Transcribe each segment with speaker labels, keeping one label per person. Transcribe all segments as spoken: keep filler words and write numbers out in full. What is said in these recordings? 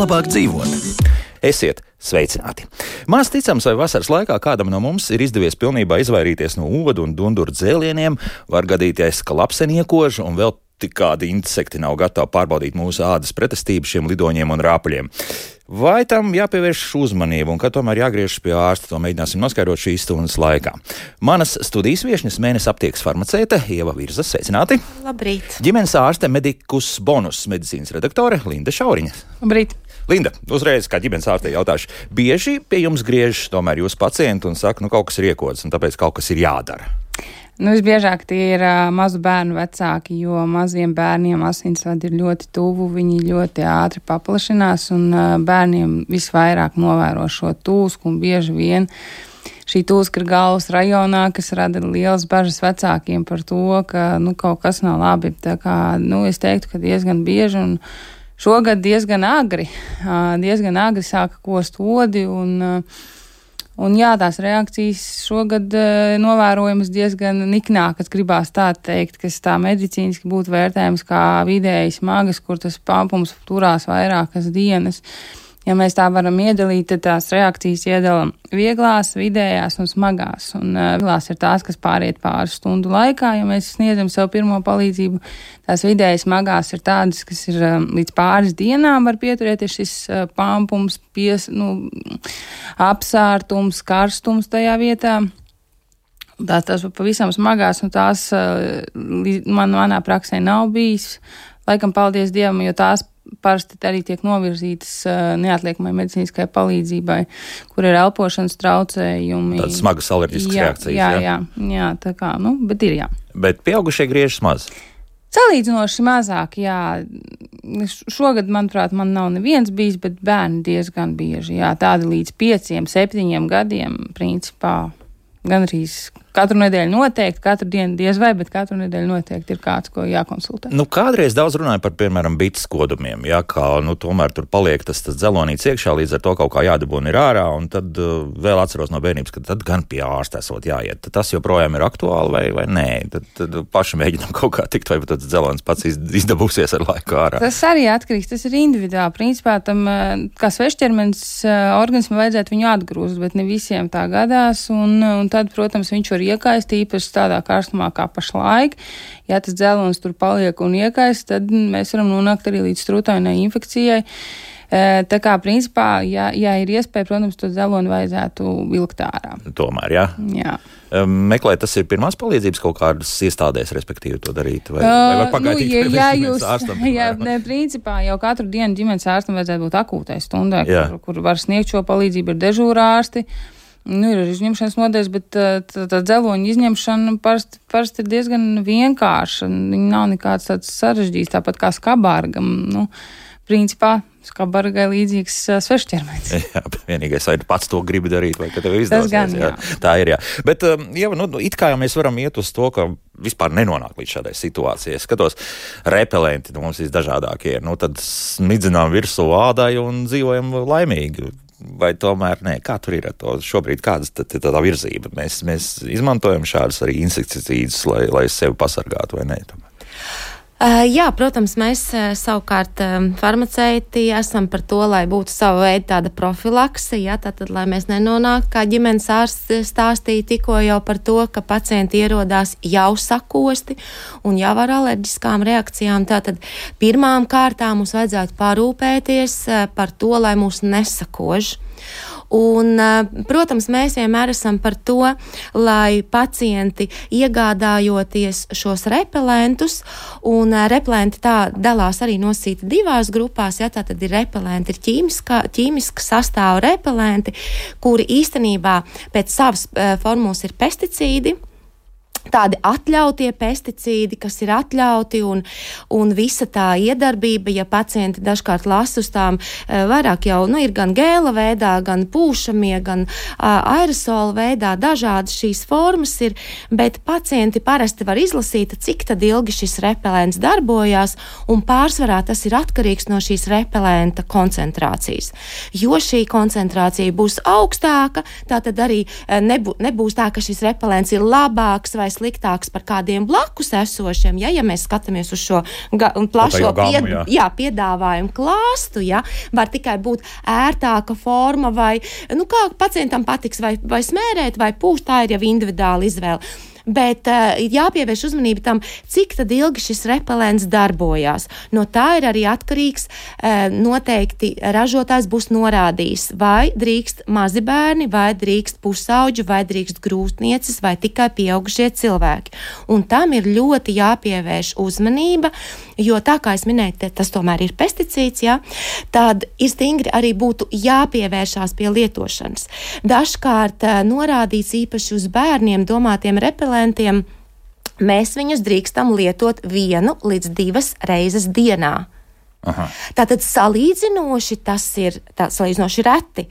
Speaker 1: labāk dzīvot. Esiet sveicināti! Maz ticams, vai vasaras laikā kādam no mums ir izdevies pilnībā izvairīties no odu un dunduru dzēlieniem, var gadīties, ka lapseni iekož un vēl tik kādi insekti nav gatavi pārbaudīt mūsu ādas pretestību šiem lidoņiem un rāpuļiem. Vai tam jāpievērš uzmanību un kad tomēr jāgriežas pie ārsta, to mēģināsim noskaidrot šīs stundas laikā. Manas studijas viešņas mēnesis aptiekas farmaceite Ieva Virza, sveicināti!
Speaker 2: Labrīt!
Speaker 1: Ģimenes ārste Medikus Bonus medicīnas redaktore Linda Šauriņa.
Speaker 3: Labrīt!
Speaker 1: Linda, uzreiz kā ģimenes ārstei jautāšu, bieži pie jums griežas tomēr jūsu pacienti un saka, nu kaut kas ir iekods un tāpēc kaut kas ir jādara?
Speaker 3: Nu, visbiežāk tie ir uh, mazu bērnu vecāki, jo maziem bērniem asinsvadi ir ļoti tuvu, viņi ļoti ātri paplašinās un uh, bērniem visvairāk novēro šo tūsku un bieži vien šī tūska ir galvas rajonā, kas rada lielas bažas vecākiem par to, ka nu, kaut kas nav labi. Tā kā, nu, es teiktu, ka diezgan bieži un šogad diezgan agri, uh, diezgan agri sāka kost odi un uh, Un jā, tās reakcijas šogad uh, novērojamas diezgan niknākas, gribās tā teikt, kas tā medicīniski būtu vērtējams kā vidēji smagas, kur tas pampums turās vairākas dienas. Ja mēs tā varam iedalīt, tad tās reakcijas iedalam vieglās, vidējās un smagās. Un uh, vieglās ir tās, kas pāriet pāris stundu laikā, ja mēs sniedzam sev pirmo palīdzību. Tās vidēji smagās ir tādas, kas ir um, līdz pāris dienām var pieturēties šis uh, pampums, pies, nu, apsārtums, karstums tajā vietā. Tās, tās pavisam smagās, un tās uh, man, manā praksē nav bijis. Laikam paldies Dievam, jo tās parasti arī tiek novirzītas uh, neatliekamai medicīniskai palīdzībai, kur ir elpošanas traucējumi.
Speaker 1: Tādas smagas alerģiskas
Speaker 3: jā,
Speaker 1: reakcijas,
Speaker 3: jā?
Speaker 1: Jā,
Speaker 3: jā, jā, tā kā, nu, bet ir jā.
Speaker 1: Bet pieaugušie griežas maz?
Speaker 3: Salīdzinoši mazāk, jā. Šogad, manuprāt, man nav neviens bijis, bet bērni diezgan bieži, jā, tādi līdz pieciem, septiņiem gadiem, principā, gandrīz katru nedēļu noteikti, katru dienu diez vai, bet katru nedēļu noteikti ir kāds, ko jākonsultē.
Speaker 1: Nu, kādreiz daudz runāja par, piemēram, bites kodumiem, jā, kā, nu, tomēr tur paliek tas, tas dzelonīts iekšā, līdz ar to kaut kā jādabūna ir ārā, un tad uh, vēl atceros no bērnības, ka tad gan pie ārsta esot jāiet. Tad tas joprojām ir aktuāli vai, vai nē? Tad, tad paši mēģinām kaut kā tikt, vai tas dzelons pats izdabūsies ar laiku ārā.
Speaker 3: Tas arī atkarīgs, tas ir individuāli. Principā tam, kā svešķermenis, organismu vajadzētu viņu atgrūst, bet ne visiem tā gadās, un, un tad, protams, viņš var iekaist, īpaši tādā karstumā kā pašlaik. Ja tas dzelons tur paliek un iekaist, tad mēs varam nonākt arī līdz strutainai infekcijai. Tā kā, principā, ja, ja ir iespēja, protams, to dzeloni vajadzētu vilkt ārā.
Speaker 1: Tomēr, jā?
Speaker 3: Jā.
Speaker 1: Meklēt, tas ir pirmās palīdzības kaut kādas iestādēs, respektīvi, to darīt? Vai, vai var pagaidīt
Speaker 3: uh, nu, ja,
Speaker 1: pie
Speaker 3: jūs,
Speaker 1: ārstam?
Speaker 3: Jā, ne, principā jau katru dienu ģimenes ārstam vajadzētu būt akūtai stundai, kur, kur var sniegt šo palīdzību, ir dežūra ārsti. Nu, ir izņemšanas nodaļas, bet tā, tā dzeloņa izņemšana parasti, parasti ir diezgan vienkārša. Viņa nav nekāds tāds sarežģīts, tāpat kā skabargam. Nu, principā skabargai līdzīgs uh, svešķermenis.
Speaker 1: Jā, vienīgais, vai pats to gribi darīt, vai ka tev izdosies.
Speaker 3: Tas gan, jā.
Speaker 1: jā. Tā ir, jā. Bet, um, jā, nu, it kā jau mēs varam iet uz to, ka vispār nenonāk līdz šādai situācijai. Es skatos, repelenti nu, mums visdažādākie, nu, tad smidzinām virsū ādai un dzīvojam laimīgi. Vai tomēr nē, kā tur ir ar to šobrīd, kādas tad ir tā virzība? Mēs, mēs izmantojam šādus arī insekticīdus, lai, lai sevi pasargātu vai nē? Tomēr?
Speaker 2: Uh, jā, protams, mēs uh, savukārt um, farmaceiti esam par to, lai būtu sava veida tāda profilakse, jā, tātad, lai mēs nenonāktu, kā ģimenes ārsts stāstīja tikko jau par to, ka pacienti ierodās jau sakosti un jau ar alerģiskām reakcijām. Tātad pirmām kārtām mums vajadzētu parūpēties uh, par to, lai mūs nesakož. Un, protams, mēs vienmēr esam par to, lai pacienti iegādājoties šos repelentus, un repelenti tā dalās arī nosīti divās grupās, ja tā tad ir repelenti, ir ķīmiska, ķīmiska sastāva repelenti, kuri īstenībā pēc savas formulas ir pesticīdi. Tādi atļautie pesticīdi, kas ir atļauti un, un visa tā iedarbība, ja pacienti dažkārt lasa uz tām vairāk jau, nu, ir gan gēla veidā, gan pūšamie, gan uh, aerosola veidā, dažādas šīs formas ir, bet pacienti parasti var izlasīt, cik tad ilgi šis repelents darbojās, un pārsvarā tas ir atkarīgs no šīs repelenta koncentrācijas. Jo šī koncentrācija būs augstāka, tā tad arī nebū, nebūs tā, ka šis repelents ir labāks vai sliktāks par kādiem blakus esošiem, ja, ja mēs skatāmies uz šo ga, plašo
Speaker 1: gamu,
Speaker 2: pied,
Speaker 1: jā.
Speaker 2: Jā, piedāvājumu klāstu, ja, var tikai būt ērtāka forma vai, nu, kā pacientam patiks vai, vai smērēt vai pūst, tā ir jau individuāla izvēle. Bet uh, ir jāpievērš uzmanība tam, cik tad ilgi šis repelents darbojās. No tā ir arī atkarīgs, uh, noteikti ražotājs būs norādījis, vai drīkst mazi bērni, vai drīkst pusauģi, vai drīkst grūtnieces, vai tikai pieaugušie cilvēki. Un tam ir ļoti jāpievērš uzmanība, jo tā kā es minēju, tas tomēr ir pesticīds, jā, tad ir stingri arī būtu jāpievēršās pie lietošanas. Dažkārt uh, norādīts īpaši uz bērniem domātiem repelentiem, mēs viņus drīkstam lietot vienu līdz divas reizes dienā. Aha. Tātad salīdzinoši tas ir tā, salīdzinoši reti,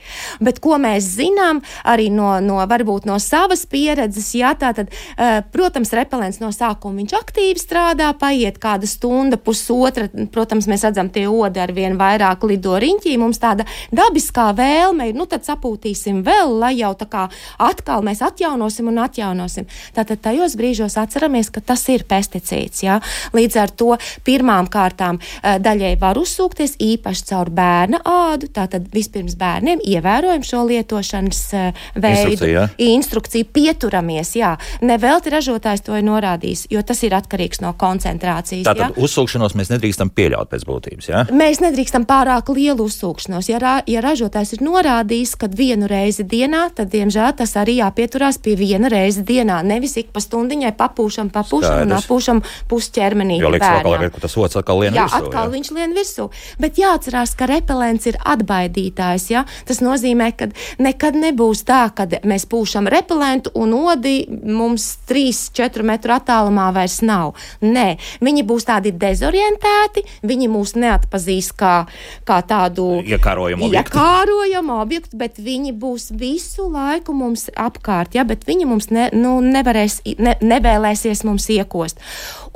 Speaker 2: bet ko mēs zinām arī no, no varbūt no savas pieredzes, jā, tātad, uh, protams, repelents no sākuma viņš aktīvi strādā, paiet kāda stunda, pusotra, protams, mēs redzam tie odi ar vien vairāk lido riņķī, mums tāda dabiskā vēlme ir, nu tad sapūtīsim vēl, lai jau tā kā atkal mēs atjaunosim un atjaunosim. Tātad tajos brīžos atceramies, ka tas ir pesticīds, jā. Līdz ar to pirmām kārtām uh, daļai var uzsūkties īpaši caur bērna ādu, tātad vispirms bērniem ievērojam šo lietošanas uh, veidu,
Speaker 1: instrukciju,
Speaker 2: instrukciju pieturamies, jā. Nevelti ražotājs to ir norādījis, jo tas ir atkarīgs no koncentrācijas.
Speaker 1: Tātad jā? Uzsūkšanos mēs nedrīkstam pieļaut pēc būtības, jā?
Speaker 2: Mēs nedrīkstam pārāk lielu uzsūkšanos. Ja, ra, ja ražotājs ir norādījis, ka vienu reizi dienā, tad, diemžēl, tas arī jāpieturās pie viena reizi dienā, nevis ik pa stundiņai papūšam, papūšam un apūšam pusķermenī.
Speaker 1: Jo liekas vēl, ka tas ots atkal lien
Speaker 2: jā,
Speaker 1: virsū.
Speaker 2: Atkal
Speaker 1: jā,
Speaker 2: viņš lien virsū. Bet jāatcerās, ka repelents ir atbaidītājs, ja? Tas nozīmē, ka nekad nebūs tā, kad mēs pūšam repelentu un odi mums trīs četru metru attālumā vairs nav. Nē, viņi būs tādi dezorientēti, viņi mūs neatpazīs kā, kā tādu
Speaker 1: iekārojamu objektu.
Speaker 2: Iekārojamu objektu, bet viņi būs visu laiku mums apkārt, ja? Bet viņi mums ne, nu, nevarēs, ne, nevēlēsies mums iekost.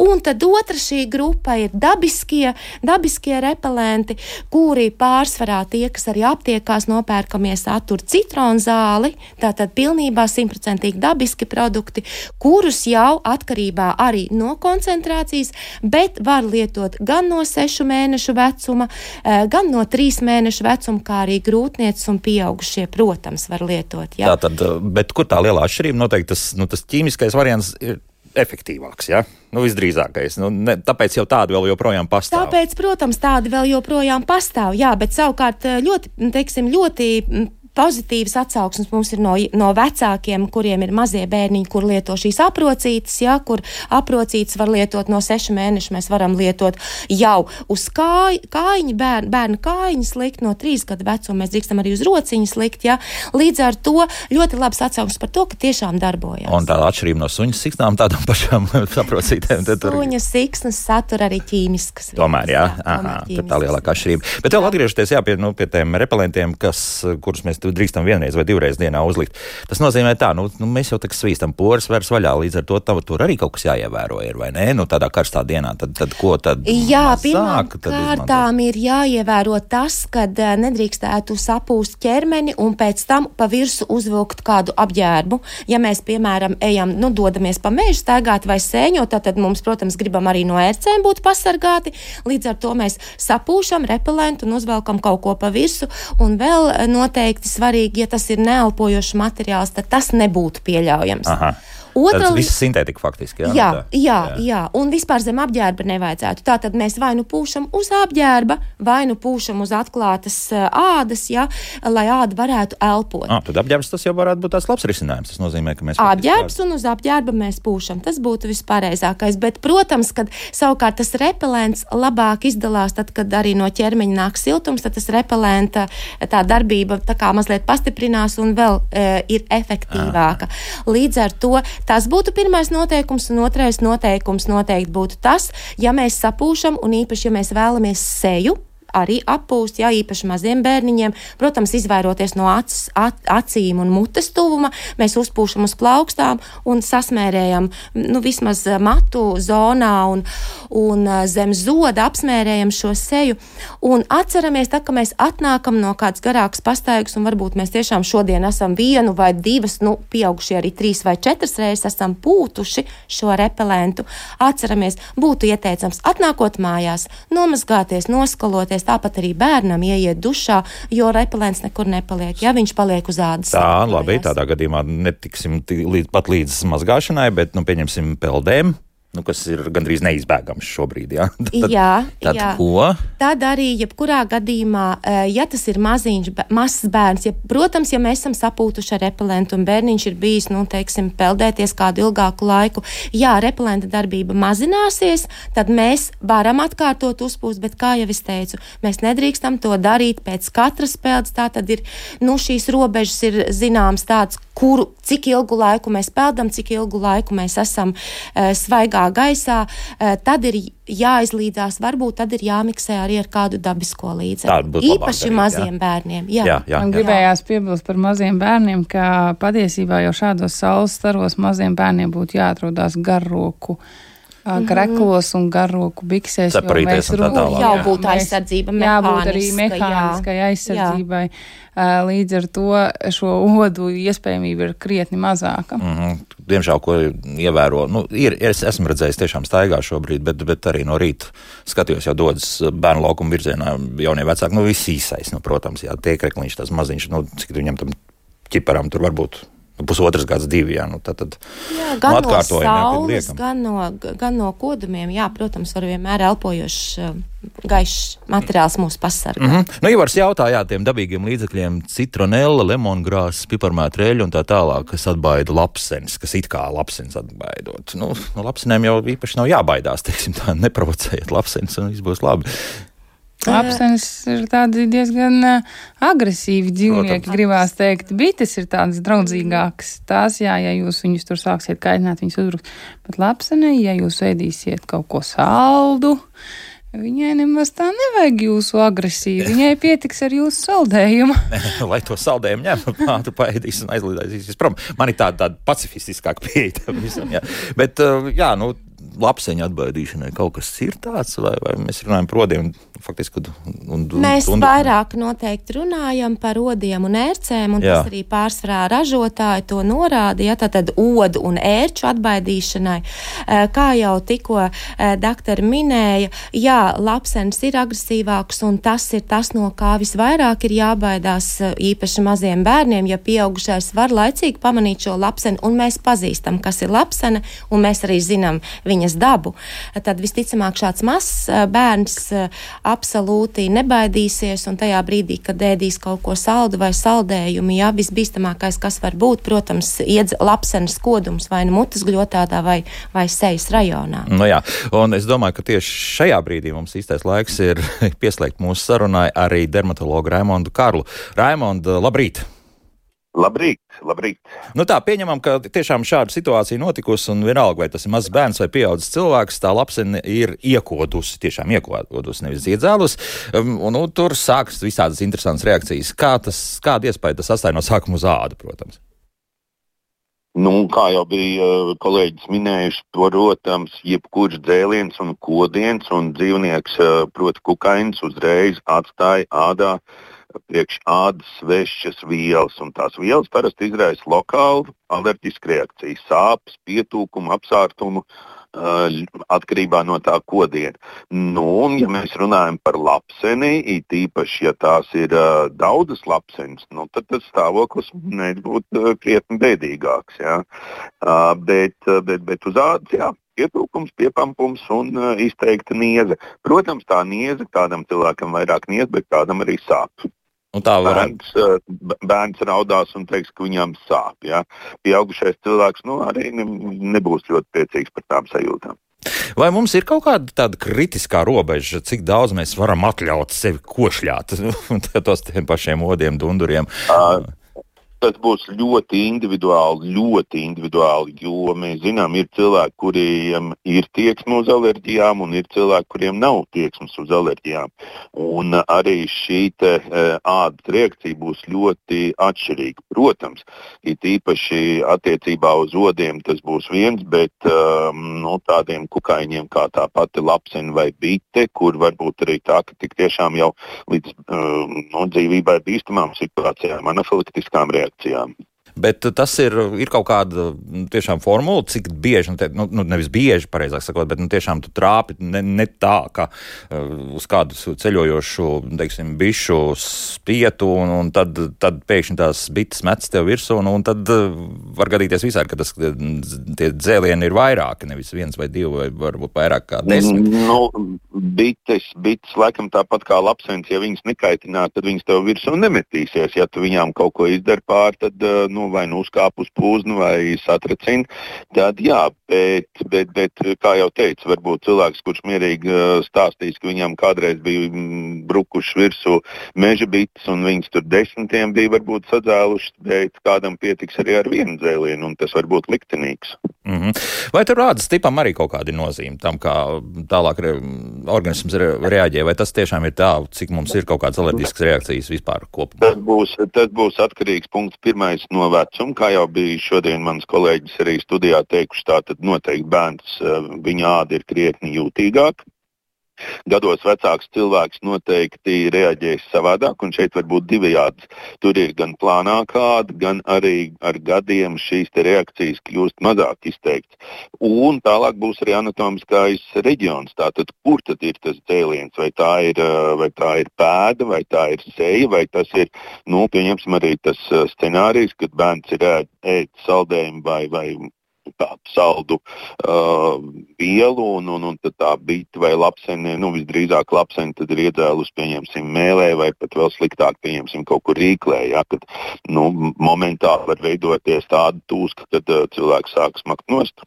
Speaker 2: Un tad otra šī grupa ir dabiskie, dabiskie repelenti, kuri pārsvarā tie, kas arī aptiekās nopērkamie satur citronzāli, tātad pilnībā simtprocentīgi dabiski produkti, kurus jau atkarībā arī no koncentrācijas, bet var lietot gan no sešu mēnešu vecuma, gan no trīs mēnešu vecuma, kā arī grūtnieces un pieaugušie, protams, var lietot. Jā.
Speaker 1: Tātad, bet kur tā lielā atšķirība? Noteikti tas, nu, tas ķīmiskais variants ir efektīvāks, ja? Nu, visdrīzākais. Nu, ne, tāpēc jau tādi vēl joprojām pastāv.
Speaker 2: Tāpēc, protams, tādi vēl joprojām pastāv, jā, bet savukārt ļoti, teiksim, ļoti pozitīvas atsauksmes mums ir no, no vecākiem, kuriem ir mazie bērniņi, kur lieto šīs aprocītes, ja, kur aprocītes var lietot no sešu mēnešu, mēs varam lietot jau uz kāj, kājiņu, bērnu, bērnu kājiņas likt, no trīs gadu vecuma mēs drīkstam arī uz rociņas likt, ja. Līdz ar to ļoti labs atsauksmes par to, ka tiešām darbojās.
Speaker 1: Un tāda atšķirība no suņas siksnām tādām pašām aprocītēm.
Speaker 2: Suņas siksnas satura arī ķīmiskas.
Speaker 1: Tomēr, jā, aha, tad tā lielākā atšķirība. Bet vēl atgriežoties, jā, pie, nu, pie tiem repelentiem, kas, kurus mēs drīkstam vienreiz vai divreiz dienā uzlikt. Tas nozīmē tā, nu, nu mēs jau tā kā svīstam poras vērs vaļā, līdz ar to tā, tur arī kaut kas jāievēro ir, vai ne? Nu, tādā karstā dienā, tad, tad ko tad
Speaker 2: jā,
Speaker 1: mazāk?
Speaker 2: Jā, pirmām kārtām ir jāievēro tas, kad nedrīkstētu sapūst ķermeni un pēc tam pa virsu uzvilkt kādu apģērbu. Ja mēs, piemēram, ejam, nu, dodamies pa mežu staigāt vai sēņot, tad mums, protams, gribam arī no ērcēm būt pasargāti. Līdz ar to mēs sapūšam repelentu un uzvelkam kaut ko pa virsu. Un vēl noteikti svarīgi, ja tas ir neelpojošs materiāls, tad tas nebūtu pieļaujams.
Speaker 1: Aha.
Speaker 2: Otra,
Speaker 1: tas viss sintētika faktiski, jā?
Speaker 2: Jā,
Speaker 1: tā,
Speaker 2: jā, jā, jā, un vispār zem apģērba nevajadzētu. Tātad mēs vai nu pūšam uz apģērba, vai nu pūšam uz atklātas uh, ādas, jā, lai āda varētu elpot.
Speaker 1: Ah, tad apģērbs tas jau varētu būt tāds labs risinājums. Tas nozīmē, ka mēs...
Speaker 2: Apģērbs un uz apģērba mēs pūšam. Tas būtu vispareizākais. Bet, protams, kad savukārt tas repelents labāk izdalās, tad, kad arī no ķermeņa nāk siltums, tad tas repelenta tā darbība tā kā mazliet pastiprinās un vēl e, ir efektīvāka. Aha. Līdz ar to tas būtu pirmais noteikums, un otrais noteikums noteikti būtu tas, ja mēs sapūšam, un īpaši, ja mēs vēlamies seju arī appūst, jā, īpaši maziem bērniņiem. Protams, izvairoties no acis, at, acīm un mutes tuvuma, mēs uzpūšam uz plaukstām un sasmērējam, nu, vismaz matu zonā un, un zem zoda apsmērējam šo seju. Un atceramies, tā, ka mēs atnākam no kāds garāks pastaigas, un varbūt mēs tiešām šodien esam vienu vai divas, nu, pieaugušie arī trīs vai četras reizes esam pūtuši šo repelentu. Atceramies, būtu ieteicams atnākot mājās, nomazgāties, noskaloties, tāpat arī bērnam ieiet dušā, jo repelents nekur nepaliek, ja viņš paliek uz ādas.
Speaker 1: Tā, labi, tādā gadījumā netiksim līdz, pat līdz mazgāšanai, bet, nu, pieņemsim peldēm. Nu, kas ir gandrīz neizbēgams šobrīd, jā? Tad,
Speaker 2: jā,
Speaker 1: tad
Speaker 2: jā.
Speaker 1: Ko?
Speaker 2: Tad arī, jebkurā gadījumā, ja tas ir maziņš, mazs bērns, ja, protams, ja mēs esam sapūtuši ar repelentu un bērniņš ir bijis, nu, teiksim, peldēties kādu ilgāku laiku, jā, repelenta darbība mazināsies, tad mēs varam atkārtot uzpūst, bet, kā jau es teicu, mēs nedrīkstam to darīt pēc katras peldes, tā tad ir, nu, šīs robežas ir zināms tāds, kuru, cik ilgu laiku mēs peldam, cik ilgu laiku mēs esam uh, svaigā gaisā, uh, tad ir jāizlīdzās, varbūt tad ir jāmiksē arī ar kādu dabisko līdzekli. Īpaši darīt, maziem jā. bērniem. Jā. Jā, jā,
Speaker 3: Man
Speaker 2: jā.
Speaker 3: gribējās piebilst par maziem bērniem, ka patiesībā jau šādos saules staros maziem bērniem būtu jāatrodās garroku kreklos un garroku biksēs.
Speaker 1: Saparīties un tā tālāk.
Speaker 2: Jau būtu aizsardzība mehāniska.
Speaker 3: Jābūt arī mehāniskai aizsardzībai. Jā. Līdz ar to šo odu iespējamība ir krietni mazāka.
Speaker 1: Mm-hmm. Diemžēl, ko ievēro, nu, ir, es esmu redzējis tiešām staigā šobrīd, bet, bet arī no rīta skatījos, jau dodas bērnu laukuma virzienā jaunie vecāki, nu, viss īsais, nu, protams, jā, tie krekliņš, tas maziņš, nu, cik viņam tam ķiparam tur varbūt pusotras gads, divi, jā, nu, tad, tad
Speaker 2: jā, gan
Speaker 1: nu,
Speaker 2: no saules, gan no, gan no kodumiem, jā, protams, var vienmēr elpojošs gaišs materiāls mūs pasargā.
Speaker 1: Mm-hmm. Nu, Ivars jautā, jā, tiem dabīgiem līdzekļiem citronella, lemongrāss, piparmētreļu un tā tālāk, kas atbaida lapsenis, kas it kā lapsenis atbaidot. Nu, no lapsenēm jau īpaši nav jābaidās, teiksim tā, neprovocējiet lapsenis un viss būs labi.
Speaker 3: Lapsenis ir tādi diezgan uh, agresīvi dzīvnieki, Protams. gribās teikt. Bites ir tādas draudzīgākas. Tās, jā, ja jūs viņus tur sāksiet kaitināt, viņus uzbruks. Bet lapsenē, ja jūs ēdīsiet kaut ko saldu, viņai nemaz tā nevajag jūsu agresīvu. Viņai pietiks ar jūsu saldējumu.
Speaker 1: Lai to saldējumu ņem, ātri paēdīs un aizlidēsīs prom. Man ir tāda, tāda pacifistiskāka pieeja tam visam, jā. Bet, uh, jā, nu, lapseņu atbaidīšanai kaut kas ir tāds, vai, vai mēs runājam par odiem faktiski? Un, un,
Speaker 2: mēs
Speaker 1: un,
Speaker 2: vairāk noteikti runājam par odiem un ērcēm, un jā. tas arī pārsvarā ražotāji to norāda, ja tātad odu un ērču atbaidīšanai. Kā jau tikko daktori minēja, jā, lapsenis ir agresīvāks, un tas ir tas, no kā visvairāk ir jābaidās īpaši maziem bērniem, ja pieaugušais var laicīgi pamanīt šo lapseni, un mēs pazīstam, kas ir lapsene, un mēs arī zinām viņas dabu, tad visticamāk šāds mazs bērns absolūti nebaidīsies, un tajā brīdī, kad ēdīs kaut ko saldu vai saldējumu, jā, visbīstamākais, kas var būt, protams, iedz lapsenes kodums vai nu mutes gļotādā vai, vai sejas rajonā.
Speaker 1: Nu jā, un es domāju, ka tieši šajā brīdī mums īstais laiks ir pieslēgt mūsu sarunai arī dermatologu Raimondu Karlu. Raimonda, labrīt!
Speaker 4: Labrīt, labrīt.
Speaker 1: Nu tā, pieņemam, ka tiešām šāda situācija notikusi, un vienalga, vai tas ir mazs bērns vai pieaudzis cilvēks, tā lapsene ir iekodusi, tiešām iekodusi, nevis iedzēlus, un, un, un tur sākas visādas interesantas reakcijas. Kā tas, kāda iespēja tas atstāja no sākuma uz ādu, protams?
Speaker 4: Nu, kā jau bija kolēģis minējuši, protams, jebkurš dzēliens un kodiens un dzīvnieks, proti kukainis, uzreiz atstāja ādā priekš ādas svešas vielas, un tās vielas parasti izraisa lokālu alerģisku reakciju, sāpes, pietūkumu, apsārtumu, uh, atkarībā no tā kodiena. Nu, un ja mēs runājam par lapseni, it īpaši, ja tās ir uh, daudzas lapsenes, nu, tad tas stāvoklis mēdz būt uh, krietni bēdīgāks, jā. Uh, bet, uh, bet, bet uz ādas, jā. Pietūkums, piepampums un uh, izteikta nieze. Protams, tā nieze, kādam cilvēkam vairāk nieze, bet kādam arī sāp. Bērns, uh, bērns raudās un teiks, ka viņam sāp. Ja? Pieaugušais cilvēks nu, arī ne, nebūs ļoti priecīgs par tām sajūtām.
Speaker 1: Vai mums ir kaut kāda tāda kritiskā robeža, cik daudz mēs varam atļaut sevi košļāt tos tiem pašiem odiem, dunduriem?
Speaker 4: Uh, Tas būs ļoti individuāli, ļoti individuāli, jo mēs zinām, ir cilvēki, kuriem ir tieksme uz alerģijām, un ir cilvēki, kuriem nav tieksmes uz alerģijām. Un arī šī te, ādas reakcija būs ļoti atšķirīga. Protams, it īpaši attiecībā uz odiem tas būs viens, bet no tādiem kukaiņiem kā tā pati lapsena vai bite, kur varbūt arī tā, ka tik tiešām jau līdz no, dzīvībai bīstamām situācijām, anafilaktiskām reakcijām.
Speaker 1: Bet tas ir, ir kaut kāda tiešām formula, cik bieži, nu, nu nevis bieži, pareizāk sakot, bet nu, tiešām tu trāpi ne, ne tā, ka uh, uz kādu ceļojošu, teiksim, bišu spietu, un, un tad, tad pēkšņi tās bites metas tev virsū, un, un tad uh, var gadīties visādi, ka tas, tie dzēlieni ir vairāki, nevis viens vai divi, vai varbūt vairāk kā desmit.
Speaker 4: Nu, bites, bites, laikam tāpat kā lapsens, ja viņas nekaitināt, tad viņas tev virsū nemetīsies. Ja tu viņām kaut ko izdari pār, tad, uh, nu, vai nu uzkāp uz pūznu vai satracina, tad jā, bet, bet, bet, kā jau teicu, varbūt cilvēks, kurš mierīgi stāstīs, ka viņam kādreiz bija brukuši virsū meža bites un viņas tur desmitiem bija varbūt sadzēlušas, bet kādam pietiks arī ar vienu dzēlienu, un tas var būt liktenīgs.
Speaker 1: Mm-hmm. Vai tur ādas tipam arī kaut kādi nozīme tam, kā tālāk re, organisms re, reaģē, vai tas tiešām ir tā, cik mums ir kaut kādas alerģiskas reakcijas vispār kopumā?
Speaker 4: Tas būs, tas būs atkarīgs punkts pirmais no vecuma, kā jau bija šodien mans kolēģis arī studijā teikuši, tātad noteikti bērns, viņa āda ir krietni jūtīgāka. Gados vecāks cilvēks noteikti reaģēs savādāk, un šeit var būt divējāds. Tur ir gan plānākā āda, gan arī ar gadiem šīs te reakcijas kļūst mazāk izteikts. Un tālāk būs arī anatomiskais reģions, tātad kur tad ir tas dzēliens, vai tā ir, vai tā ir pēda, vai tā ir seja, vai tas ir, nu, pieņemsim arī tas scenārijs, kad bērns ir ēd, ēd saldējumu vai, vai tādu saldu uh, vielu, un, un, un tad tā bite vai lapsene, nu visdrīzāk lapsene tad ir iedzēlus, pieņemsim, mēlē, vai pat vēl sliktāk, pieņemsim, kaut kur rīklē, ja, kad, nu, momentāli var veidoties tāda tūska, kad uh, cilvēks sāk smakt nost.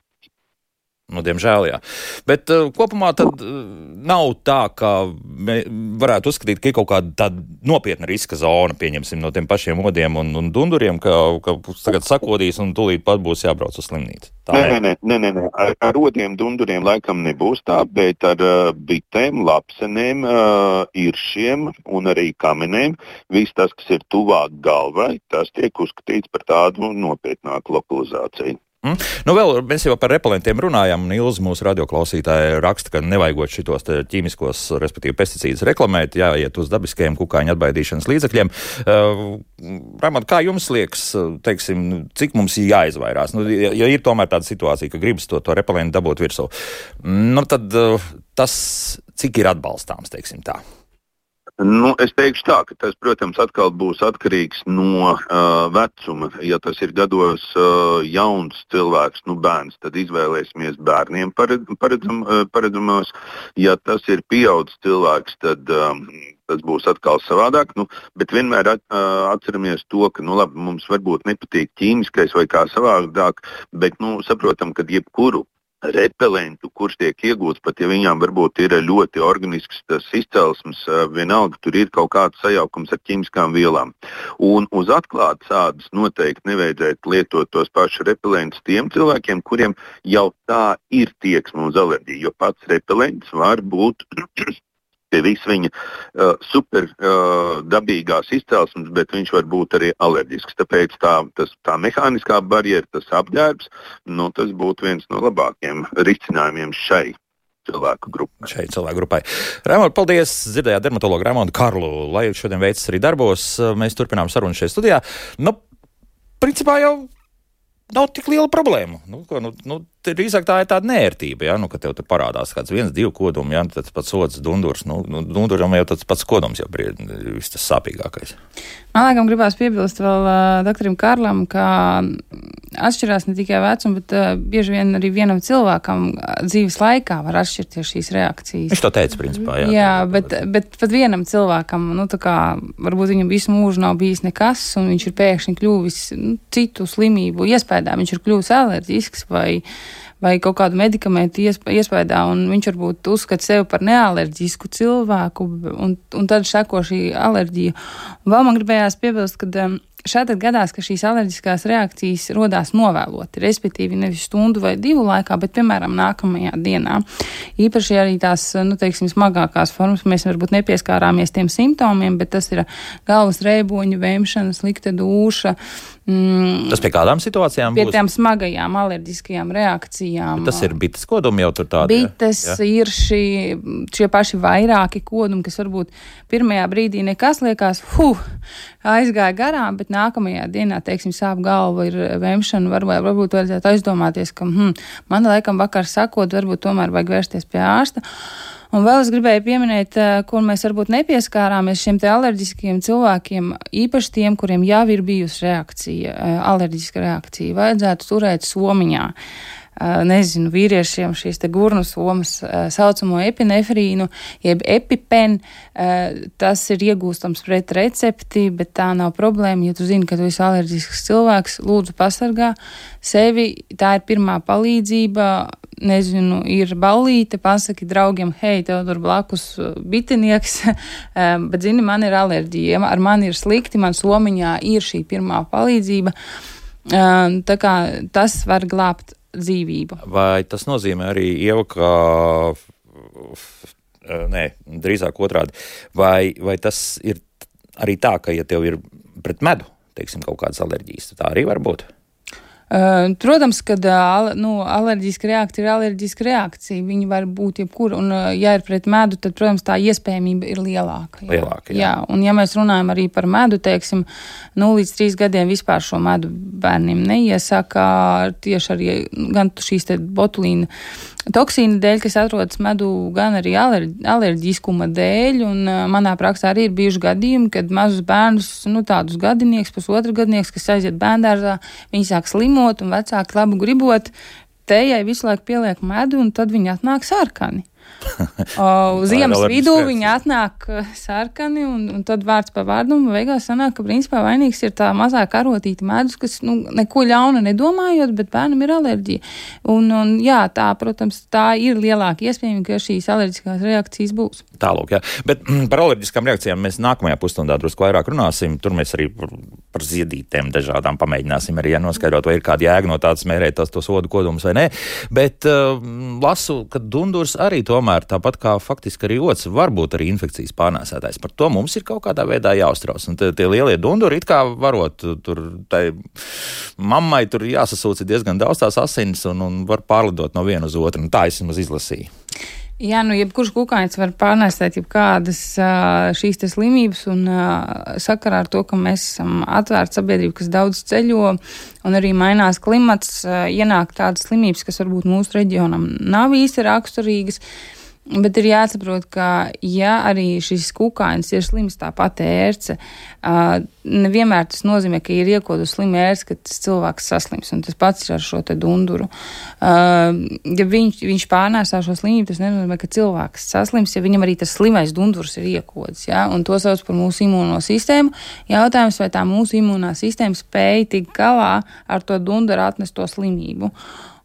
Speaker 1: Nu, diemžēl, jā. Bet uh, kopumā tad uh, nav tā, ka mē, varētu uzskatīt, ka ir kaut kāda tāda nopietna riska zona, pieņemsim, no tiem pašiem odiem un, un dunduriem, ka, ka tagad sakodīs un tūlīt pat būs jābrauc uz slimnīcu. Tā
Speaker 4: nē, nē, nē, nē, nē. Ar, ar odiem, dunduriem laikam nebūs tā, bet ar uh, bitēm, lapsenēm, uh, iršiem un arī kamenēm, viss tas, kas ir tuvāk galvai, tas tiek uzskatīts par tādu nopietnāku lokalizāciju.
Speaker 1: Mm. Nu vēl mēs jau par repelentiem runājām, un Ilze mūsu radioklausītāja raksta, ka nevajagot šitos ķīmiskos, respektīvi pesticīdus reklamēt, jāiet uz dabiskajiem kukaiņu atbaidīšanas līdzekļiem. Uh, Raimond, kā jums liekas, teiksim, cik mums jāizvairās? Nu, ja, ja ir tomēr tāda situācija, ka gribas to, to repelentu dabūt virsū, nu tad uh, tas, cik ir atbalstāms, teiksim tā?
Speaker 4: Nu, es teikšu tā, ka tas, protams, atkal būs atkarīgs no uh, vecuma. Ja tas ir gados uh, jauns cilvēks, nu bērns, tad izvēlēsimies bērniem paredzam, uh, paredzamos. Ja tas ir pieaudzis cilvēks, tad um, tas būs atkal savādāk. Nu, bet vienmēr at, uh, atceramies to, ka nu, labi, mums varbūt nepatīk ķīmiskais vai kā savādāk, bet nu, saprotam, ka jebkuru repelentu, kurš tiek iegūts, pat ja viņām varbūt ir ļoti organisks tas izcelsmes, vienalga tur ir kaut kāds sajaukums ar ķīmiskām vielām. Un uz atklātas ādas noteikti nevajadzētu lietot tos pašus repelentus tiem cilvēkiem, kuriem jau tā ir tieksme uz alerģiju, jo pats repelents var būt pie visu viņa uh, super uh, dabīgās izcelsmes, bet viņš var būt arī alerģisks. Tāpēc tā, tas, tā mehāniskā barjera, tas apģērbs, nu, tas būtu viens no labākiem risinājumiem šai cilvēku grupai.
Speaker 1: Šai cilvēku grupai. Raimond, paldies! Dzirdējāt dermatologu Raimondu Karlu. Lai šodien veicis arī darbos, mēs turpinām sarunu šajā studijā. Nu, principā jau nav tik liela problēma. Nu, ko, nu, nu, drīzāk tā ir tāda nērtība, ja? Nu, ka tev te parādās kāds viens, divi kodumi, ja? Tas pats sods, dundurs. Nu, nu, dunduram jau tas pats kodums jau ir viss tas sāpīgākais.
Speaker 3: Man laikam gribās piebilst vēl uh, doktoram Karlam, ka atšķirās ne tikai vecuma, bet uh, bieži vien arī vienam cilvēkam dzīves laikā var atšķirties šīs reakcijas.
Speaker 1: Viņš to teica, principā, jā.
Speaker 3: Jā, bet, bet pat vienam cilvēkam, nu, tā kā varbūt viņam visu mūžu nav bijis nekas, un viņš ir pēkšņi kļuvis nu, citu slimību iespējām, viņš ir kļuvis alerģisks vai vai kaut kādu medikamentu iespējā, un viņš varbūt uzskata sevi par nealerģisku cilvēku, un, un tad seko šī alerģija. Un vēl man gribējās piebilst, ka um, šādi gadās, ka šīs alerģiskās reakcijas rodās novēloti, respektīvi nevis stundu vai divu laikā, bet, piemēram, nākamajā dienā. Īpaši arī tās, nu, teiksim, smagākās formas, mēs varbūt nepieskārāmies tiem simptomiem, bet tas ir galvas rēboņu, vēmšana, slikta dūša. Mm,
Speaker 1: tas pie kādām situācijām
Speaker 3: pie
Speaker 1: būs?
Speaker 3: Pie tām smagajām alerģiskajām reakcijām.
Speaker 1: Bet tas ir bites kodumi jau tur tādi?
Speaker 3: Bites, ja? Ir šī, šie paši vairāki kodumi, kas varbūt pirmajā brīdī nekas liekas, huh, aizgāja garām, bet nākamajā dienā, teiksim, sāp galva, ir vēmšana, varbūt, varbūt vajadzētu aizdomāties, ka, hm, man laikam vakar sakot, varbūt tomēr vajag vērsties pie ārsta. Un vēl es gribēju pieminēt, kur mēs varbūt nepieskārāmies šiem te alerģiskiem cilvēkiem, īpaši tiem, kuriem jau ir bijusi reakcija, alerģiska reakcija, vajadzētu turēt somiņā. Nezinu, vīriešiem šīs te gurnu somas saucamo epinefrīnu, jeb epipen, tas ir iegūstams pret recepti, bet tā nav problēma, ja tu zini, ka tu esi alerģisks cilvēks, lūdzu pasargā sevi, tā ir pirmā palīdzība. Nezinu, ir ballīte, pasaki draugiem, hei, tev tur blakus bitinieks, bet, zini, man ir alerģija, ar mani ir slikti, man somiņā ir šī pirmā palīdzība, tā kā tas var glābt dzīvību.
Speaker 1: Vai tas nozīmē arī, Ieva, ka, nē, drīzāk otrādi, vai, vai tas ir arī tā, ka, ja tev ir pret medu, teiksim, kaut kādas alerģijas, tā arī var būt?
Speaker 3: Uh, protams, ka uh, nu, alerģiska reakcija ir alerģiska reakcija. Viņa var būt jebkura, un uh, ja ir pret medu, tad, protams, tā iespējamība ir lielāka. Jā.
Speaker 1: Lielāka, jā.
Speaker 3: jā. Un ja mēs runājam arī par medu, teiksim, nu, līdz trīs gadiem vispār šo medu bērniem neiesaka, tieši arī gan šīs te botulīna toksīna dēļ, kas atrodas medū, gan arī alerģi, alerģiskuma dēļ, un uh, manā praksē arī ir bijuši gadījumi, kad mazus bērnus, nu, tādus gadinieks, pusotru gadinieks, kas aiziet bērndārzā, viņi sāk slimot, un vecāki labu gribot, tējai visu laiku pieliek medu, un tad viņi atnāk sarkani. O, uz ziemas vidū viņi atnāk sarkani, un, un tad vārds pa vārdu, un beigās sanāk, ka principā vainīgs ir tā mazā karotīta medus, kas, nu, neko ļauna nedomājot, bet bērnam ir alerģija. Un, un jā, tā, protams, tā ir lielāka iespējama, ka šīs alerģiskās reakcijas būs.
Speaker 1: Tālūk, jā. Bet mm, par alerģiskām reakcijām mēs nākamajā pusstundā drusku vairāk runāsim. Tur mēs arī par, par ziedītēm dažādām pamēģināsim arī ja, noskaidrot, vai ir kāda jēga no tādas mērēt tos, tos odu kodumus vai nē. Bet uh, lasu, ka dundurs arī tomēr tāpat kā faktiski arī ots var būt arī infekcijas pārnēsētājs. Par to mums ir kaut kādā veidā jāuztrauc. Un tie, tie lielie dunduri it kā varot tur, tai mammai tur jāsasūca diezgan daudz tās asinis un, un var pārlidot no viena uz otru. Un tā es vismaz izlasīju.
Speaker 3: Jā, nu, jebkurš kukainis var pārnēsēt jebkādas šīs te slimības, un sakarā ar to, ka mēs esam atvērta sabiedrība, kas daudz ceļo, un arī mainās klimats, ienāk tādas slimības, kas varbūt mūsu reģionam nav īsti raksturīgas. Bet ir jāsaprot, ka ja arī šis kukainis ir slims, tāpat ērce, nevienmēr tas nozīmē, ka ir iekodus slima ērce, ka tas cilvēks saslims, un tas pats ir ar šo te dunduru. Ja viņš, viņš pārnēsā šo slimību, tas nenozīmē, ka cilvēks saslims, ja viņam arī tas slimais dundurs ir iekodis, ja? Un to sauc par mūsu imūno sistēmu. Jautājums, vai tā mūsu imūnā sistēma spēja tikt galā ar to dunduru atnesto slimību.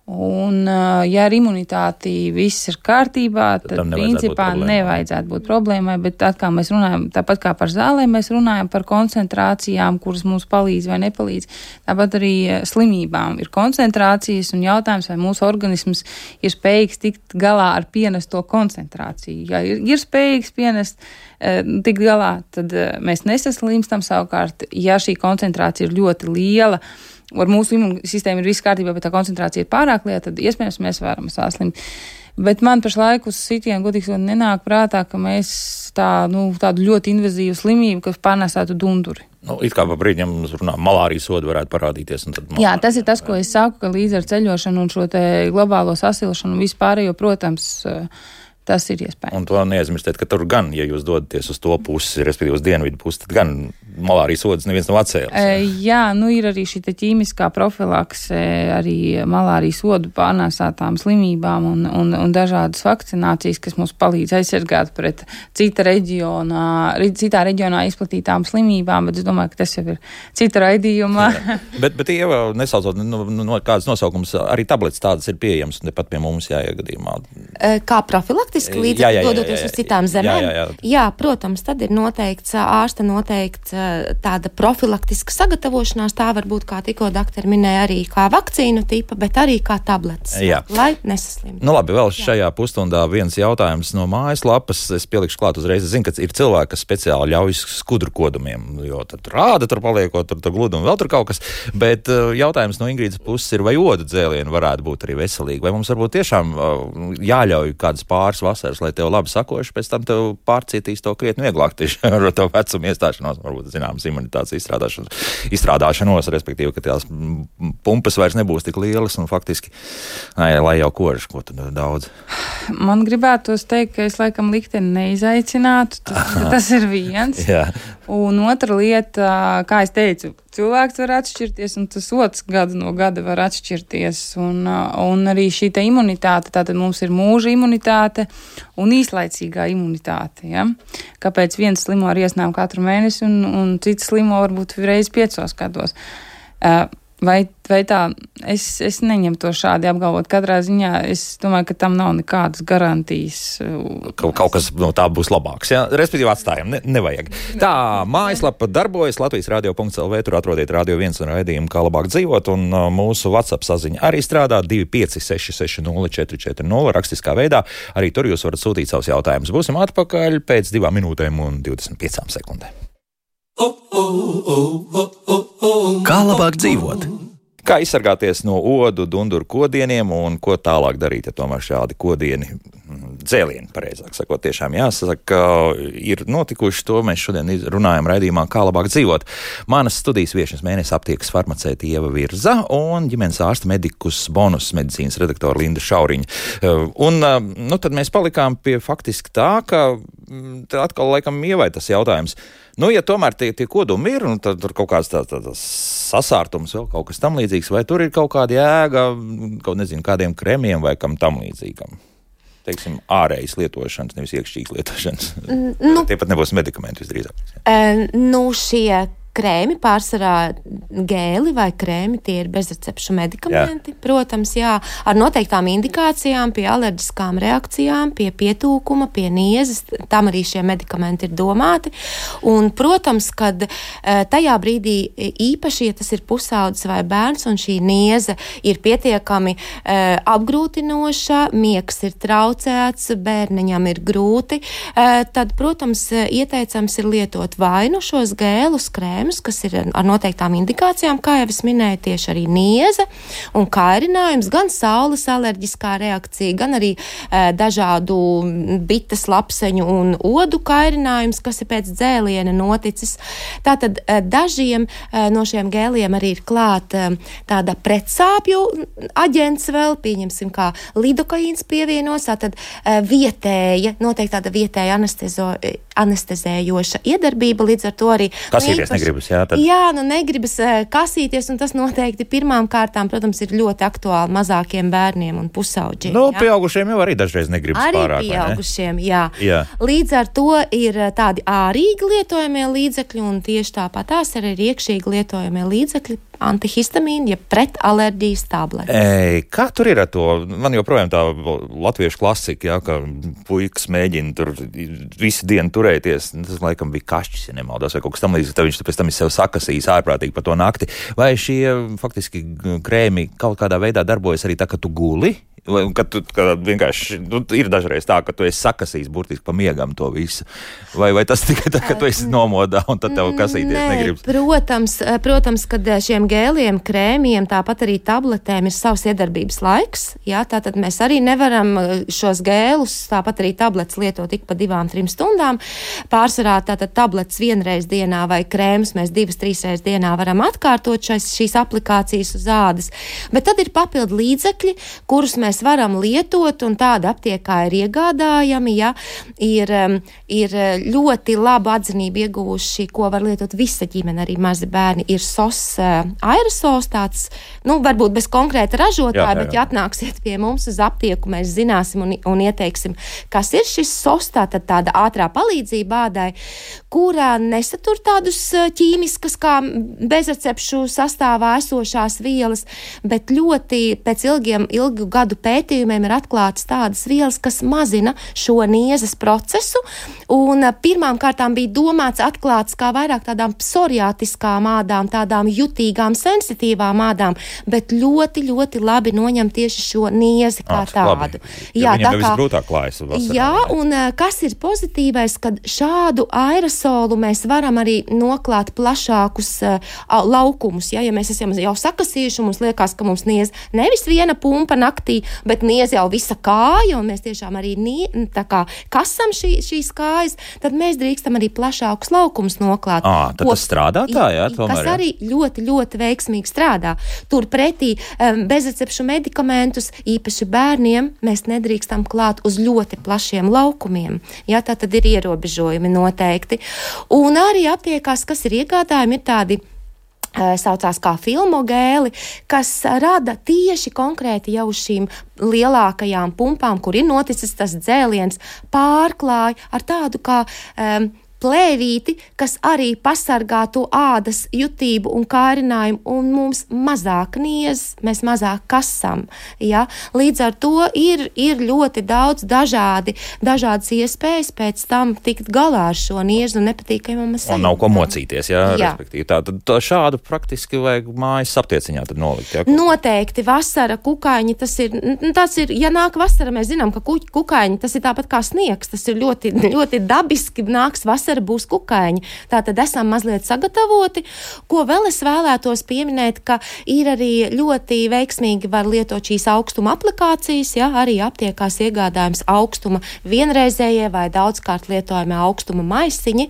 Speaker 3: Un, ja ar imunitāti viss ir kārtībā, tad, tad principā būt nevajadzētu būt problēmai, bet tad, kā mēs runājam, tāpat kā par zālēm, mēs runājam par koncentrācijām, kuras mums palīdz vai nepalīdz. Tāpat arī slimībām ir koncentrācijas, un jautājums, vai mūsu organisms ir spējīgs tikt galā ar pienesto koncentrāciju. Ja ir, ir spējīgs pienest, tikt galā, tad mēs nesaslimstam. Savukārt, ja šī koncentrācija ir ļoti liela, ar mūsu imūnsistēmu ir viss kārtībā, bet tā koncentrācija ir pārāk liela, tad iespējams mēs varam saslimt. Bet man pašlaik uz sitienu godīgi nenāk prātā, ka mēs tā, nu, tādu ļoti invazīvu slimību, kas pārnēsātu dunduri.
Speaker 1: Nu, it kā pa brīdiem mums runā, malārijas soda varētu parādīties. Un tad malārija,
Speaker 3: jā, tas ir tas, ko es saku, ka līdz ar ceļošanu un šo te globālo sasilšanu un vispārējo, protams, Tas ir iespējams.
Speaker 1: Un to neaizmirstiet, ka tur gan, ja jūs dodaties uz to pusi, respektīvi uz dienvidu pusi, tad gan malārijas odas neviens nav atcēlis.
Speaker 3: E, jā, nu ir arī šī ķīmiskā profilakse, arī malārijas odu pārnēsātām slimībām un, un, un dažādas vakcinācijas, kas mums palīdz aizsargāt pret cita reģionā, citā reģionā izplatītām slimībām, bet es domāju, ka tas jau ir cita raidījuma.
Speaker 1: bet, bet Ieva, nesaucot no, no kādas nosaukums, arī tabletes tādas ir pieejamas, nepat pie mums jāiegadījumā.
Speaker 2: Kā profilaktiski līdzekļi dodoties uz citām zemēm?
Speaker 1: Jā, jā, jā.
Speaker 2: jā, protams, tad ir noteikts, ārsta noteikts tāda profilaktiska sagatavošanās, tā var būt, kā tikko doktori minēja, arī kā vakcīnu tipa, bet arī kā tabletes, jā. Lai nesaslimtu.
Speaker 1: Nu labi, vēl šajā pusstundā viens jautājums no mājaslapas, es pielikšu klāt uzreiz, es zinu, ka ir cilvēki, kas speciāli ļauj skudru kodumiem, jo tad rāda tur paliekot, tur, tur gludumi, vēl tur kaut kas, bet jautājums no Ingrīdas puses ir, vai odu dzēlieni varētu būt arī veselīgi, vai mums varbūt tiešām jāļauj kādas pāris vasaras, lai tev labi sakoši, pēc tam tev pārcietīs to krietni vieglāk tieši ar to vecumu iestāšanos, varbūt zināmas imunitātes izstrādāšanos, izstrādāšanos, respektīvi, ka tās pumpas vairs nebūs tik lielas un faktiski, nē, lai jau kož, ko tad daudz.
Speaker 3: Man gribētos teikt, ka es laikam likteni neizaicinātu, tas, tas ir viens.
Speaker 1: Jā.
Speaker 3: Un otra lieta, kā es teicu, cilvēks var atšķirties, un tas otrs gadu no gada var atšķirties. Un, un arī šī te imunitāte, tātad mums ir mūža imunitāte un īslaicīgā imunitāte. Ja? Kāpēc viens slimo ar iesnām katru mēnesi, un, un cits slimo varbūt reiz piecos gados. Uh, Vai, vai tā, es, es neņemu to šādi apgalvot. Katrā ziņā es domāju, ka tam nav nekādas garantijas.
Speaker 1: Kaut, kaut kas no tā būs labāks, jā? Respektīvi atstājam, ne, nevajag. Tā, mājaslapa darbojas, Latvijas radio punkts el vē, tur atrodiet Radio viens un raidījumu, kā labāk dzīvot, un uh, mūsu WhatsApp saziņa arī strādā divi pieci seši seši nulle četri četri nulle rakstiskā veidā. Arī tur jūs varat sūtīt savus jautājumus. Būsim atpakaļ pēc divām minūtēm un divdesmit piecām sekundēm. Kā labāk dzīvot? Kā izsargāties no odu, dunduru kodieniem un ko tālāk darīt, ja tomēr šādi kodieni, dzēlieni, pareizāk sakot, tiešām jāsaka, ir notikuši to. Mēs šodien runājam raidījumā, kā labāk dzīvot. Manas studijas viešņas mēnesis aptiekas farmaceite Ieva Virza un ģimenes ārsta medikus bonus medicīnas redaktora Linda Šauriņa. Un nu, tad mēs palikām pie faktiski tā, ka atkal laikam Ievai tas jautājums. Nu, ja tomēr tie, tie kodumi ir, un tad tur kaut kāds tāds tā, tā sasārtums, vēl kaut kas tam līdzīgs, vai tur ir kaut kāda jēga, kaut nezinu, kādiem kremiem vai kam tam līdzīgam? Teiksim, ārējas lietošanas, nevis iekšķīgas lietošanas. Nu, tie pat nebūs medikamenti visdrīzāk.
Speaker 2: Uh, nu, šie krēmi, pārsvarā gēli vai krēmi, tie ir bezrecepšu medikamenti, jā. Protams, jā, ar noteiktām indikācijām, pie alerģiskām reakcijām, pie pietūkuma, pie niezes, tam arī šie medikamenti ir domāti. Un, protams, kad tajā brīdī īpaši, ja tas ir pusaudzis vai bērns un šī nieze ir pietiekami uh, apgrūtinoša, miegs ir traucēts, bērniņam ir grūti, uh, tad, protams, ieteicams ir lietot vai nu šos gēlus, krēmus, kas ir ar noteiktām indikācijām, kā jau es minēju, tieši arī nieze un kairinājums, gan saules alerģiskā reakcija, gan arī e, dažādu bites, lapseņu un odu kairinājums, kas ir pēc dzēliena noticis. Tātad e, dažiem e, no šiem gēliem arī ir klāt e, tāda pretsāpju aģents vēl, pieņemsim, kā lidokaīns pievienos, tātad e, vietēja, noteikti tāda vietēja anestezo, anestezējoša iedarbība, līdz ar to arī
Speaker 1: kasīties negribas, jā, tad.
Speaker 2: Jā, nu negribas uh, kasīties, un tas noteikti pirmām kārtām, protams, ir ļoti aktuāli mazākiem bērniem un pusauģiem.
Speaker 1: Nu,
Speaker 2: jā.
Speaker 1: Pieaugušiem jau arī dažreiz negribas
Speaker 2: arī
Speaker 1: pārāk, vai ne?
Speaker 2: Arī pieaugušiem, jā.
Speaker 1: jā.
Speaker 2: Līdz ar to ir tādi ārīgi lietojamie līdzekļi, un tieši tāpat tās ir arī iekšīgi lietojamie līdzekļi, antihistamīni, ja pret alerģijas tabletes.
Speaker 1: Ei, kā tur ir ar to? Man joprojām tā latviešu klasika, jā, ka puikas mēģina tur visu dienu turēties. Tas laikam bija kašķis, ja nemaldos, vai kaut kas tam līdzīgs. Tad viņš pēc tam ir sev sakasījis ārprātīgi par to nakti. Vai šie faktiski krēmi kaut kādā veidā darbojas arī tā, ka tu guli? Vai, kad tu kad vienkārši, nu, ir dažreiz tā, ka tu esi sakasījis burtiski pa miegam to visu. Vai, vai tas tikai tā, ka tu esi nomodā un tad tev kasīties
Speaker 2: Nē,
Speaker 1: negribas?
Speaker 2: Protams, protams, kad šiem gēliem, krēmiem, tāpat arī tabletēm ir savs iedarbības laiks. Jā, tātad mēs arī nevaram šos gēlus, tāpat arī tabletes lietot tik pa divām, trim stundām. Pārsvarā tātad tabletes vienreiz dienā vai krēmus mēs divas, trīs reizes dienā varam atkārtot šais, šīs aplikācijas uz ādas. Bet tad ir papildu līdzekļi, kurus mēs mēs varam lietot, un tāda aptiekā ir iegādājami, ja, ir, ir ļoti labu atzinību ieguvuši, ko var lietot visa ģimene, arī mazi bērni, ir sos aerosols, tāds, nu, varbūt bez konkrēta ražotāja, jā, jā, jā. Bet ja atnāksiet pie mums uz aptieku, mēs zināsim un, un ieteiksim, kas ir šis sos, tātad tāda ātrā palīdzība ādai, kurā nesatur tādus ķīmiskas kā bezrecepšu sastāvā esošās vielas, bet ļoti pēc ilgiem, ilgu gadu pētījumiem ir atklātas tādas vielas, kas mazina šo niezes procesu, un pirmām kārtām bija domāts atklāts kā vairāk tādām psoriātiskām ādām, tādām jutīgām, sensitīvām ādām, bet ļoti, ļoti labi noņem tieši šo niezi kā
Speaker 1: Ā,
Speaker 2: tādu.
Speaker 1: Jā,
Speaker 2: tā kā,
Speaker 1: visgrūtāk klājas vasarā.
Speaker 2: Jā, un kas ir pozitīvais, kad šādu aerosolu mēs varam arī noklāt plašākus uh, laukumus, ja, ja mēs esam jau sakasījuši, un mums liekas, ka mums niez nevis viena pumpa naktī, bet niez jau visa kāja, un mēs tiešām arī nie, tā kā kasam šī, šīs kājas, tad mēs drīkstam arī plašākus laukumus noklāt.
Speaker 1: Ā, tad
Speaker 2: ko,
Speaker 1: tas strādā tā, jā, tomēr,
Speaker 2: kas arī ļoti, ļoti veiksmīgi strādā. Turpretī um, bezrecepšu medikamentus, īpaši bērniem, mēs nedrīkstam klāt uz ļoti plašiem laukumiem. Jā, tā tad ir ierobežojumi noteikti. Un arī aptiekās, kas ir iegādājumi, ir tādi saucās kā filmogēli, kas rada tieši konkrēti jau šīm lielākajām pumpām, kur ir noticis tas dzēliens, pārklāja ar tādu kā um, plēvīti, kas arī pasargā to ādas jutību un kārinājumu, un mums mazāk niez, mēs mazāk kasam. Ja? Līdz ar to ir, ir ļoti daudz dažādi, dažādas iespējas pēc tam tikt galā ar šo niezu un nepatīkamam sajūtām.
Speaker 1: Un nav ko mocīties, jā,
Speaker 2: jā.
Speaker 1: respektīvi. Tā, tad tā šādu praktiski vajag mājas aptieciņā tad nolikt. Jā,
Speaker 2: Noteikti vasara kukaiņi, tas ir, tas ir, ja nāk vasara, mēs zinām, ka kukaiņi, tas ir tāpat kā sniegs, tas ir ļoti, ļoti dabiski, nāks vasara, būs kukaiņi. Tātad esam mazliet sagatavoti. Ko vēl es vēlētos pieminēt, ka ir arī ļoti veiksmīgi var lietot šīs augstuma aplikācijas, ja, arī aptiekās iegādājums augstuma vienreizējie vai daudzkārt lietojamie augstuma maisiņi.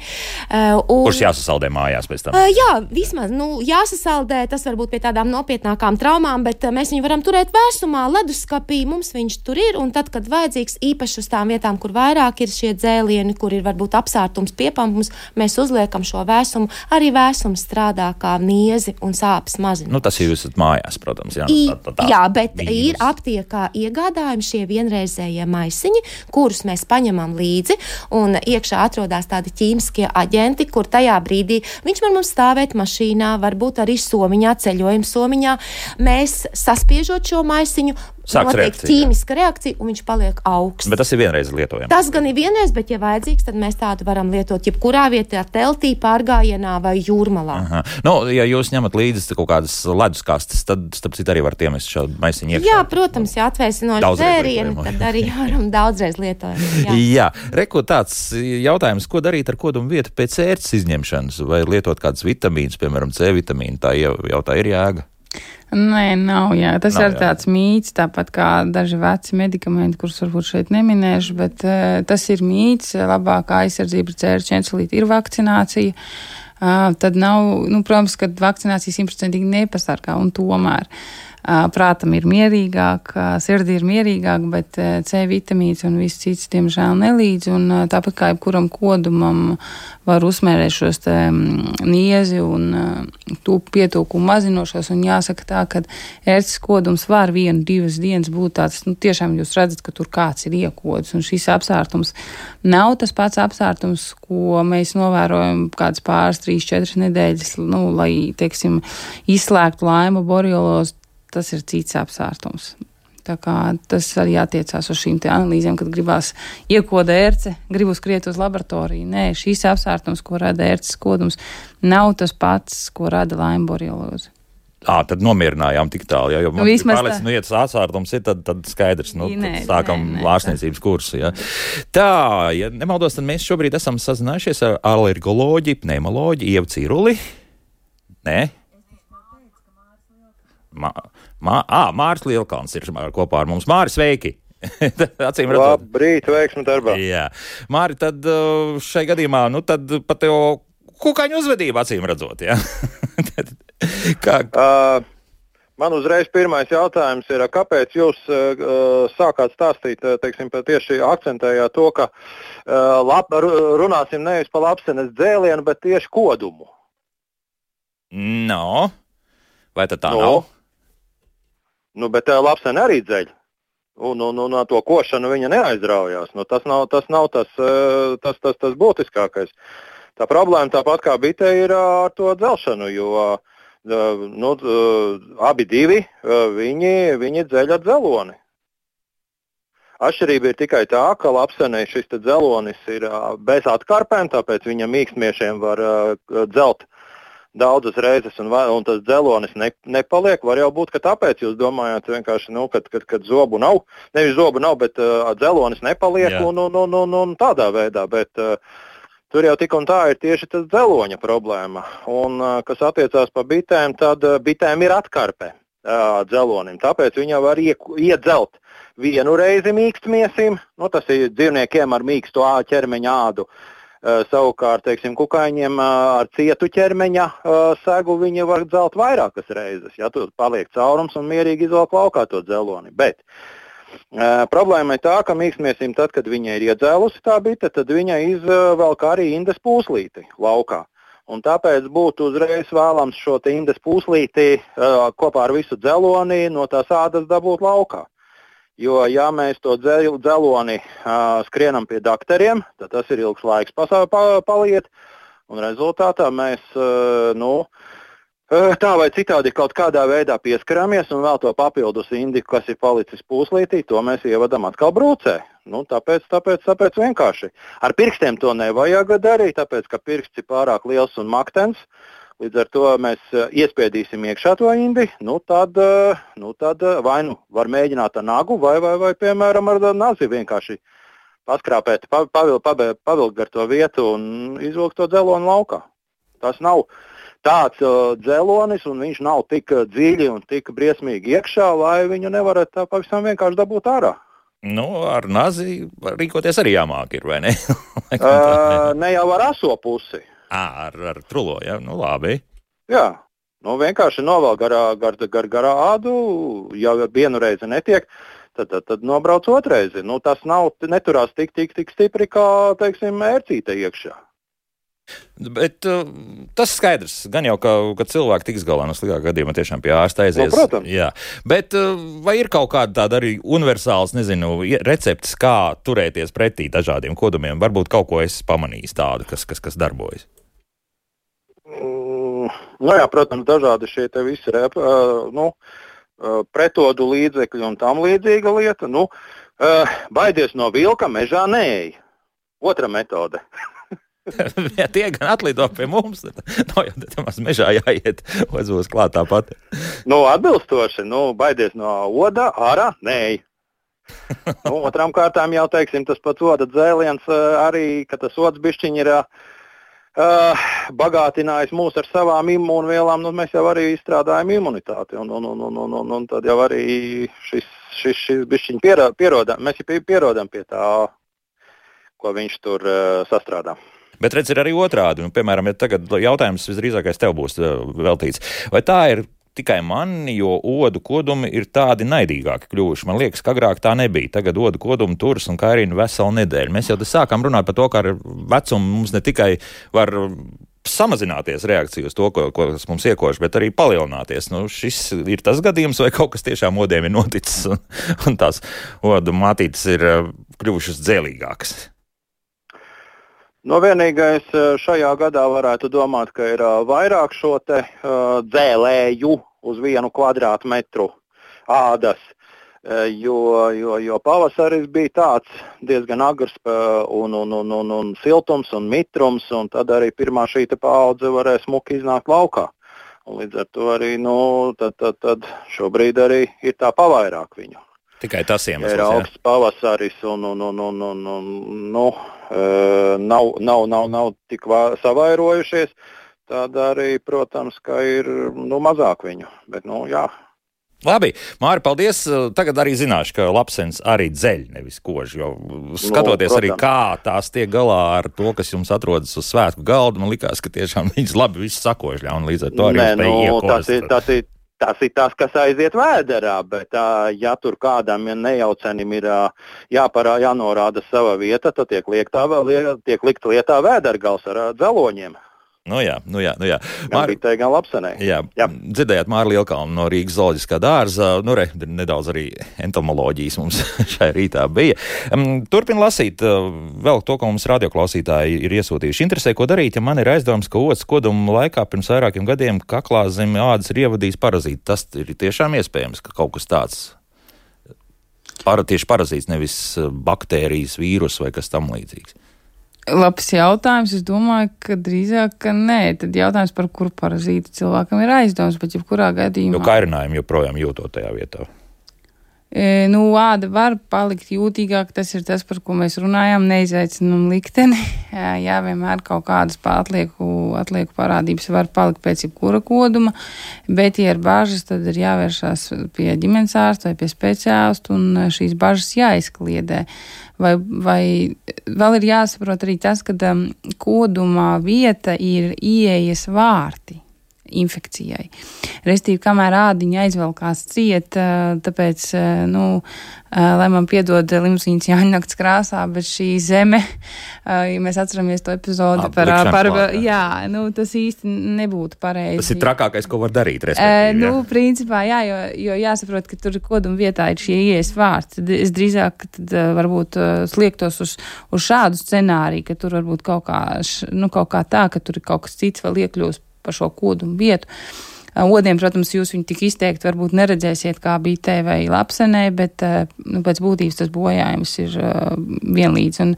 Speaker 2: Un,
Speaker 1: kurš jāsasaldē mājās pēc tam?
Speaker 2: Jā, vismaz, nu, jāsasaldē, tas varbūt pie tādām nopietnākām traumām, bet mēs viņu varam turēt vēsumā, leduskapī, mums viņš tur ir, un tad, kad vajadzīgs, īpaši uz tām vietām, kur vairāk ir šie dzēlieni, kur ir varbūt apsārtums pie Mums, mēs uzliekam šo vēsumu. Arī vēsums strādā kā niezi un sāpes mazina.
Speaker 1: Nu, tas ir jūs mājās, protams. Jā,
Speaker 2: I,
Speaker 1: tā, tā, tā.
Speaker 2: jā bet
Speaker 1: Mīnus.
Speaker 2: Ir aptiekā iegādājumi šie vienreizējie maisiņi, kurus mēs paņemam līdzi, un iekšā atrodas tādi ķīmiskie aģenti, kur tajā brīdī viņš var mums stāvēt mašīnā, varbūt arī somiņā, ceļojuma somiņā. Mēs saspiežot šo maisiņu,
Speaker 1: Sāks
Speaker 2: notiek
Speaker 1: reakcija,
Speaker 2: ķīmiska reakcija, un viņš paliek augsts.
Speaker 1: Bet tas ir vienreiz lietojams.
Speaker 2: Tas gan ir vienreiz, bet, ja vajadzīgs, tad mēs tādu varam lietot jebkurā vietā, teltī, pārgājienā vai jūrmalā.
Speaker 1: Aha. Nu, ja jūs ņemat līdzi kaut kādas leduskastes, tad, starp citu, arī var iemest šādu maisiņu iekšā.
Speaker 2: Jā, protams, ja atvēsinoši dzērieni, tad arī varam daudzreiz lietot. Jā,
Speaker 1: Jā. Reku tāds jautājums, ko darīt ar kodumu vietu pēc ērces izņemšanas, vai lietot kādas vitamīnas, piemēram, C vitamīnu, tā jau, jau tā ir jēga?
Speaker 3: Nē, nav, jā. Tas
Speaker 1: nav,
Speaker 3: ir tāds mīts, tāpat kā daži veci medikamenti, kurus varbūt šeit neminēšu, bet uh, tas ir mīts, labākā aizsardzība pret ķērču encelīti ir vakcinācija. Uh, tad nav, nu, protams, ka vakcinācija simtprocentīgi nepasargā, un tomēr uh, prātam ir mierīgāk, uh, sirdī ir mierīgāk, bet uh, C vitamīns un viss cits, diemžēl, nelīdz, un uh, tāpat kā jebkuram kodumam var uzmērēt šos te niezi un uh, tūp pietūkumu mazinošos, un jāsaka tā, ka ērces kodums var vienu, divas dienas būt tāds, nu, tiešām jūs redzat, ka tur kāds ir iekodis, un šis apsārtums nav tas pats apsārtums, ko mēs novērojam kāds pāris, trīs, četras nedēļas, nu, lai, teiksim, izslēgtu laimu borelilozi, tas ir cits apsārtums. Tā kā tas arī attiecās uz šīm te analīzēm, kad gribās iekoda ērce, gribu skriet uz laboratoriju. Nē, šīs apsārtums, ko rada ērces kodums, nav tas pats, ko rada laimu borelilozi.
Speaker 1: Ā, tad nomierinājām tik tālu, jā, jo man
Speaker 3: Vismaz
Speaker 1: pārliec, nu, ja tas atsārtums ir, tad, tad skaidrs, nu,
Speaker 3: Nē,
Speaker 1: tad sākam
Speaker 3: nē, nē,
Speaker 1: ārstniecības kursu, jā. Tā, ja nemaldos, tad mēs šobrīd esam sazinājušies ar alergoloģi, pneimoloģi, Ievu Ciruli. Nē? Mā, mā, ā, Māris Lielkalns ir kopā ar mums. Māri, sveiki! Acīm redzot.
Speaker 5: Labrīt, veiksmi darbā.
Speaker 1: Jā. Māri, tad šai gadījumā, nu tad pat tev kukaiņu uzvedība acīm redzot, jā? Kā?
Speaker 5: Uh, Man uzreiz pirmais jautājums ir, kāpēc jūs uh, sākāt stāstīt, teiksim, tieši akcentējāt to, ka uh, lap, runāsim nevis par lapsenes dzēlienu, bet tieši kodumu?
Speaker 1: No. Vai tad tā
Speaker 5: no.
Speaker 1: nav?
Speaker 5: Nu, bet uh, lapsene arī dzeļ. Un, un, un to košanu viņa neaizraujās. Nu, tas nav tas, nav tas, uh, tas, tas, tas būtiskākais. Tā problēma tāpat kā bite ir uh, ar to dzelšanu, jo uh, Uh, nu, uh, abi divi, uh, viņi, viņi dzeļ ar dzeloni. Atšķirība ir tikai tā, ka lapsenei šis dzelonis ir uh, bez atkarpēm, tāpēc viņa mīkstmiešiem var uh, dzelt daudzas reizes, un, un tas dzelonis ne, nepaliek. Var jau būt, ka tāpēc jūs domājat vienkārši, nu, kad, kad, kad zobu nav, nevis zobu nav, bet uh, dzelonis nepaliek un, un, un, un, un tādā veidā, bet uh, tur jau tik un tā ir tieši tas dzeloņa problēma. Un, kas attiecās par bitēm, tad bitēm ir atkarpe dzelonim. Tāpēc viņa var iedzelt vienu reizi mīkstmiesim. Nu, tas ir dzīvniekiem ar mīkstu ķermeņa ādu. Savukārt, teiksim, kukaiņiem ar cietu ķermeņa segu viņi var dzelt vairākas reizes. Ja tur paliek caurums un mierīgi izvelk laukā to dzeloni. Bet Uh, problēma ir tā, ka mīkstmiesim tad, kad viņa ir iedzēlusi tā bite, tad viņa izvelk arī indes pūslīti laukā. Un tāpēc būtu uzreiz vēlams šo te indes pūslīti uh, kopā ar visu dzeloni no tās ādas dabūt laukā. Jo, ja mēs to dzeloni uh, skrienam pie dakteriem, tad tas ir ilgs laiks pasā, pa, paliet, un rezultātā mēs, uh, nu, tā vai citādi kaut kādā veidā pieskaramies un vēl to papildus indiku, kas ir palicis pūslītī, to mēs ievadam atkal brūcē. Nu, tāpēc, tāpēc, tāpēc vienkārši. Ar pirkstiem to nevajag darīt, tāpēc, ka pirksts ir pārāk liels un maktens. Līdz ar to mēs iespiedīsim iekšā to indi, nu tad, nu tad vai nu var mēģināt ar nagu, vai, vai, vai piemēram ar nazi vienkārši paskrāpēt, pavilkt pavilk, pavilk gar to vietu un izvilkt to dzeloni laukā. Tas nav tāds uh, dzelonis, un viņš nav tik dziļi un tik briesmīgi iekšā, lai viņu nevarētu tā pavisam vienkārši dabūt ārā.
Speaker 1: Nu, ar nazi rīkoties arī jāmāk ir, vai ne?
Speaker 5: uh, ne jau ar aso pusi.
Speaker 1: À, ar, ar trulo, jā, nu labi.
Speaker 5: Jā, nu vienkārši novēl garā, gar, gar, garā ādu, jau vienu reizi netiek, tad, tad, tad nobrauc otreizi. Nu, tas nav, neturās tik, tik, tik stipri, kā, teiksim, ērcīte iekšā.
Speaker 1: Bet uh, tas skaidrs, gan jau, ka, ka cilvēki tiks galā no sliktākā gadījumā tiešām pie ārsta aizies.
Speaker 5: No, protams.
Speaker 1: Jā. Bet uh, vai ir kaut kāda tāda arī universāls, nezinu, recepts, kā turēties pretī dažādiem kodumiem? Varbūt kaut ko esi pamanījis tādu, kas, kas, kas darbojas?
Speaker 5: Mm, nu jā, protams, dažādi šie te visi rep, uh, nu, uh, pretodu līdzekļi un tam līdzīga lieta. Nu, uh, baidies no vilka, mežā neej. Otra metode.
Speaker 1: Ja tie gan atlido pie mums, tad nav jau tamās mežā jāiet, odzos klāt tāpat.
Speaker 5: Nu, atbilstoši, nu, baidies no oda, ārā, nē. Nu, otram kārtām jau, teiksim, tas pats oda dzēliens arī, ka tas ods bišķiņ ir uh, bagātinājis mūs ar savām imūnvielām, nu, mēs jau arī izstrādājam imunitāti, un, un, un, un, un, un, un tad jau arī šis, šis, šis bišķiņ pierodam, mēs jau pierodam pie tā, ko viņš tur uh, sastrādā.
Speaker 1: Bet redz, ir arī otrādi. Nu, piemēram, ja tagad jautājums visdrīzākais tev būs veltīts. Vai tā ir tikai man, jo odu kodumi ir tādi naidīgāki kļuvuši? Man liekas, ka agrāk tā nebija. Tagad odu kodumi turas un kairina veselu nedēļu. Mēs jau sākām runāt par to, ka ar vecumu mums ne tikai var samazināties reakcija uz to, ko, ko mums iekož, bet arī palielināties. Nu, šis ir tas gadījums, vai kaut kas tiešām odiem ir noticis un, un tās odu mātītes ir kļuvušas dzēlīgākas?
Speaker 5: No vienīgais šajā gadā varētu domāt, ka ir vairāk šo te uh, dzēlēju uz vienu kvadrātmetru ādas, uh, jo, jo, jo pavasaris bija tāds diezgan agrs uh, un, un, un, un, un siltums un mitrums, un tad arī pirmā šī te paudze varēja smuki iznākt laukā. Un līdz ar to arī, nu, tad, tad, tad šobrīd arī ir tā pavairāk viņu.
Speaker 1: Tikai tas iemesls,
Speaker 5: ir augsts pavasaris un, un, un, un, un, un nu, uh, nav, nav, nav, nav tik vā, savairojušies, tad arī, protams, ka ir nu, mazāk viņu. Bet, nu, jā.
Speaker 1: Labi, Māri, paldies. Tagad arī zināšu, ka lapsenes arī dzeļ, nevis kož, jo skatoties nu, arī, kā tās tiek galā ar to, kas jums atrodas uz svētku galda, man likās, ka tiešām viņas labi visu sakožļā un līdz ar to arī
Speaker 5: Nē,
Speaker 1: spēja
Speaker 5: nu,
Speaker 1: iekost.
Speaker 5: Tas ir, tas ir tas ir tas, kas aiziet vēderā, bet ja tur kādam ja nejaucenim ir jāparā, jānorāda sava vieta, tad tiek, liektā, tiek likt lietā vēdergals ar dzeloņiem.
Speaker 1: Nu jā, nu jā, nu jā.
Speaker 5: Gan bitē, gan lapsenē.
Speaker 1: Jā, jā. Dzirdējāt Māru Lielkalnu no Rīgas zooloģiskā dārza. Nu re, nedaudz arī entomoloģijas mums šai rītā bija. Turpin lasīt vēl to, ko mums radioklausītāji ir iesūtījuši. Interesē, ko darīt, ja man ir aizdoms, ka otas koduma laikā pirms vairākiem gadiem kaklā zem ādas ir ievadījis parazīti. Tas ir tiešām iespējams, ka kaut kas tāds para, tieši parazīts, nevis baktērijas, vīrus vai kas tam līdzīgs.
Speaker 3: Labs jautājums. Es domāju, ka drīzāk, ka nē. Tad jautājums, par kuru parazītu cilvēkam ir aizdoms, bet jebkurā gadījumā.
Speaker 1: Jo kairinājumu joprojām jūtot tajā vietā.
Speaker 3: E, nu, āda var palikt jūtīgāk, tas ir tas, par ko mēs runājām, neizaicinām likteni. Jā, vienmēr kaut kādas atlieku, atlieku parādības var palikt pēc jebkura koduma, bet, ja ir bažas, tad ir jāvēršās pie ģimenes ārsta vai pie speciālistu un šīs bažas jāizkliedē. Vai, vai vēl ir jāsaprot arī tas, ka um, kodumā vieta ir ieejas vārti infekcijai. Restīvi, kamēr ādiņa aizvelkās ciet, tāpēc, nu, lai man piedod limuzīnas Jāņnakts krāsā, bet šī zeme, ja mēs atceramies to epizodi par, par,
Speaker 1: klāt,
Speaker 3: jā, nu, tas īsti nebūtu pareizi.
Speaker 1: Tas ir trakākais, ko var darīt, respektīvi.
Speaker 3: Nu, jā. Principā, jā, jo, jo jāsaprot, ka tur koduma vietā ir šie ieejas vārds. Tad es drīzāk tad varbūt sliektos uz, uz šādu scenāriju, ka tur varbūt kaut kā, nu, kaut kā tā, ka tur ir kaut kas cits vēl iekļūst par šo kodumu vietu. Odiem, protams, jūs viņu tik izteikti varbūt neredzēsiet kā bitē vai lapsenē, bet nu, pēc būtības tas bojājums ir uh, vienlīdz. Un,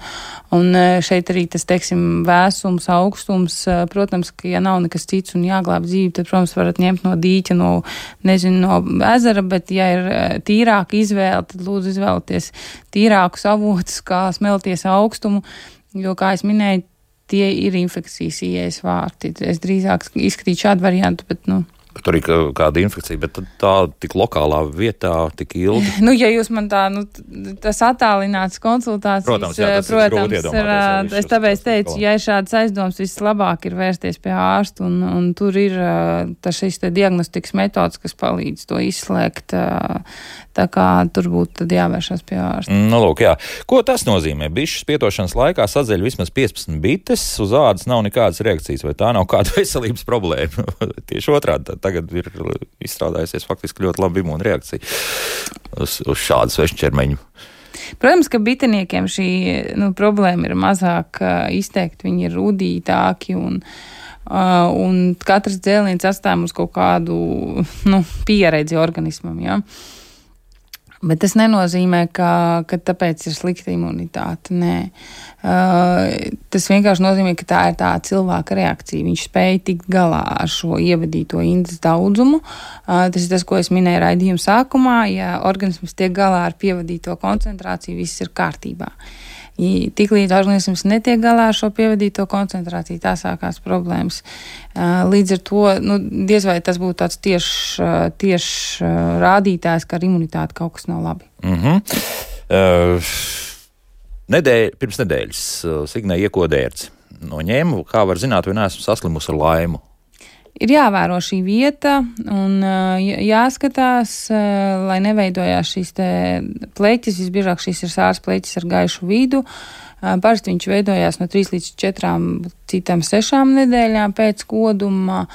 Speaker 3: un šeit arī tas, teiksim, vēsums, augstums, protams, ka ja nav nekas cits un jāglāb dzīvi, tad, protams, varat ņemt no dīķa, no, nezinu, no ezera, bet ja ir tīrāka izvēle, tad lūdzu izvēlēties tīrākus avotus, kā smelties augstumu, jo, kā es minēju, tie ir infekcijas ieejas vārti. Es drīzāk izskatītu šādu variantu, bet, nu.
Speaker 1: Bet tur ir kāda infekcija, bet tā tik lokālā vietā, tik ilgi.
Speaker 3: Nu, ja jūs man tā, nu, tas attālināts konsultācijas,
Speaker 1: protams, jā, tas
Speaker 3: protams,
Speaker 1: ir grūti
Speaker 3: es tāpēc teicu, ja ir šāds aizdoms, vislabāk ir vērsties pie ārsta, un, un tur ir tas šis te diagnostikas metods, kas palīdz to izslēgt. Tā kā tur būtu tad jāvēršas pie ārsta.
Speaker 1: Nu, lūk, jā. Ko tas nozīmē? Bišas pietošanas laikā sadzeļ vismaz piecpadsmit bites, uz ādas nav nekādas reakcijas, vai tā nav kāda veselības problēma? Tieši otrādi, tagad ir izstrādājusies faktiski ļoti laba imūna reakcija uz, uz šādu svešķermeņu.
Speaker 3: Protams, ka biteniekiem šī nu, problēma ir mazāk uh, izteikti, viņi ir rudītāki un Uh, un katrs dzēliens atstāja mums kaut kādu nu, pieredzi organismam, ja? Bet tas nenozīmē, ka, ka tāpēc ir slikta imunitāte. Nē. Uh, tas vienkārši nozīmē, ka tā ir tā cilvēka reakcija. Viņš spēja tikt galā ar šo ievadīto indes daudzumu. Uh, tas ir tas, ko es minēju raidījuma sākumā. Ja organisms tiek galā ar pievadīto koncentrāciju, viss ir kārtībā. Tiklīdz organisms netiek galā ar šo pievadīto koncentrāciju, tā sākās problēmas. Līdz ar to, nu, diez vai tas būtu tāds tieši tieš rādītājs, ka ar imunitāti kaut kas nav labi.
Speaker 1: Mm-hmm. Uh, nedēļ, pirms nedēļas uh, Signē iekodērts no ņēmu, kā var zināt, vai neesmu saslimusi ar laimu.
Speaker 3: Ir jāvēro šī vieta un jāskatās, lai neveidojās šīs te pleķis. Visbiežāk šīs ir sārs pleķis ar gaišu vidu. Parasti viņš veidojās no trīs līdz četrām, citām sešām nedēļām pēc koduma.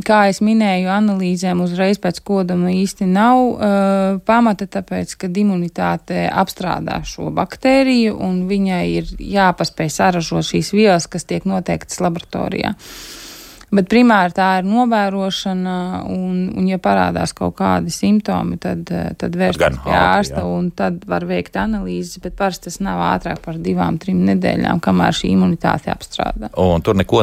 Speaker 3: Kā es minēju, analīzēm uzreiz pēc koduma īsti nav uh, pamata, tāpēc, ka imunitāte apstrādā šo baktēriju un viņai ir jāpaspēj saražot šīs vielas, kas tiek noteiktas laboratorijā. Bet primāri tā ir novērošana, un, un ja parādās kaut kādi simptomi, tad, tad vērsties pie ārsta, un tad var veikt analīzes, bet parasti tas nav ātrāk par divām, trim nedēļām, kamēr šī imunitāte apstrādā.
Speaker 1: Un tur neko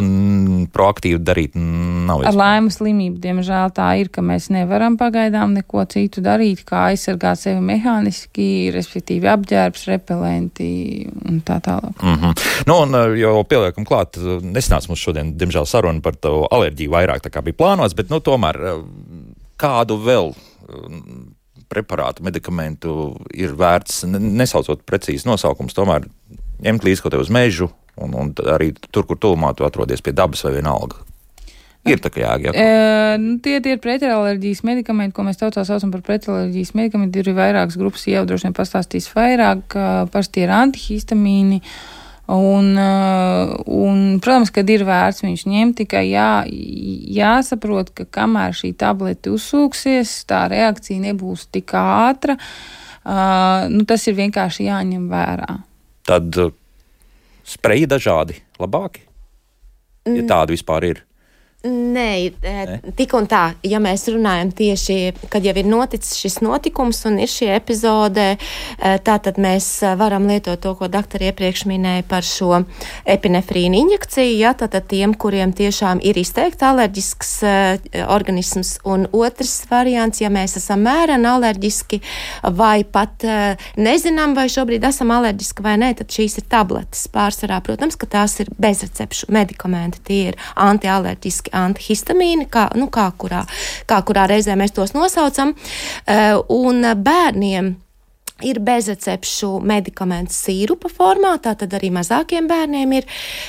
Speaker 1: proaktīvi darīt nav iespējams.
Speaker 3: Ar laimu slimību, diemžēl tā ir, ka mēs nevaram pagaidām neko citu darīt, kā aizsargāt sevi mehāniski, respektīvi apģērbs, repelenti un tā tālāk.
Speaker 1: Mm-hmm. Nu, un jau pieliekam klāt, nesnāc mums šodien, diemžēl, saruna par to alerģiju vairāk tā kā bija plānots, bet nu tomēr kādu vēl preparātu, medikamentu ir vērts, nesaucot precīzi nosaukums, tomēr ņemt līdzi kaut te uz mežu un, un arī tur, kur tuvumā tu atrodies pie dabas vai vienalga? Ir tā kā jēga.
Speaker 3: E, nu, tie, tie ir pretalerģijas medikamenti, ko mēs tautā saucam par pretalerģijas medikamenti. Ir vairākas grupas, jau droši vien pastāstīs vairāk, parasti ir antihistamīni. Un, un, protams, kad ir vērts viņš ņemt, tikai jā, jāsaprot, ka kamēr šī tablete uzsūksies, tā reakcija nebūs tik ātra. Uh, nu, tas ir vienkārši jāņem vērā.
Speaker 1: Tad uh, spreji dažādi labāki, ja tādi vispār ir.
Speaker 2: Nē, tik un tā, ja mēs runājam tieši, kad jau ir noticis šis notikums un ir šī epizode, tātad mēs varam lietot to, ko doktori iepriekš minēja par šo epinefrīnu injekciju, ja, tātad tiem, kuriem tiešām ir izteikti alerģisks organisms, un otrs variants, ja mēs esam mēreni alerģiski vai pat nezinām, vai šobrīd esam alerģiski vai nē, tad šīs ir tabletes pārsvarā. Protams, ka tās ir bezrecepšu medikamenti, tie ir antialerģiski antihistamīni, kā, nu, kā, kurā, kā kurā reizē mēs tos nosaucam, uh, un bērniem ir bezrecepšu medikamentu sīrupa formā, tātad arī mazākiem bērniem ir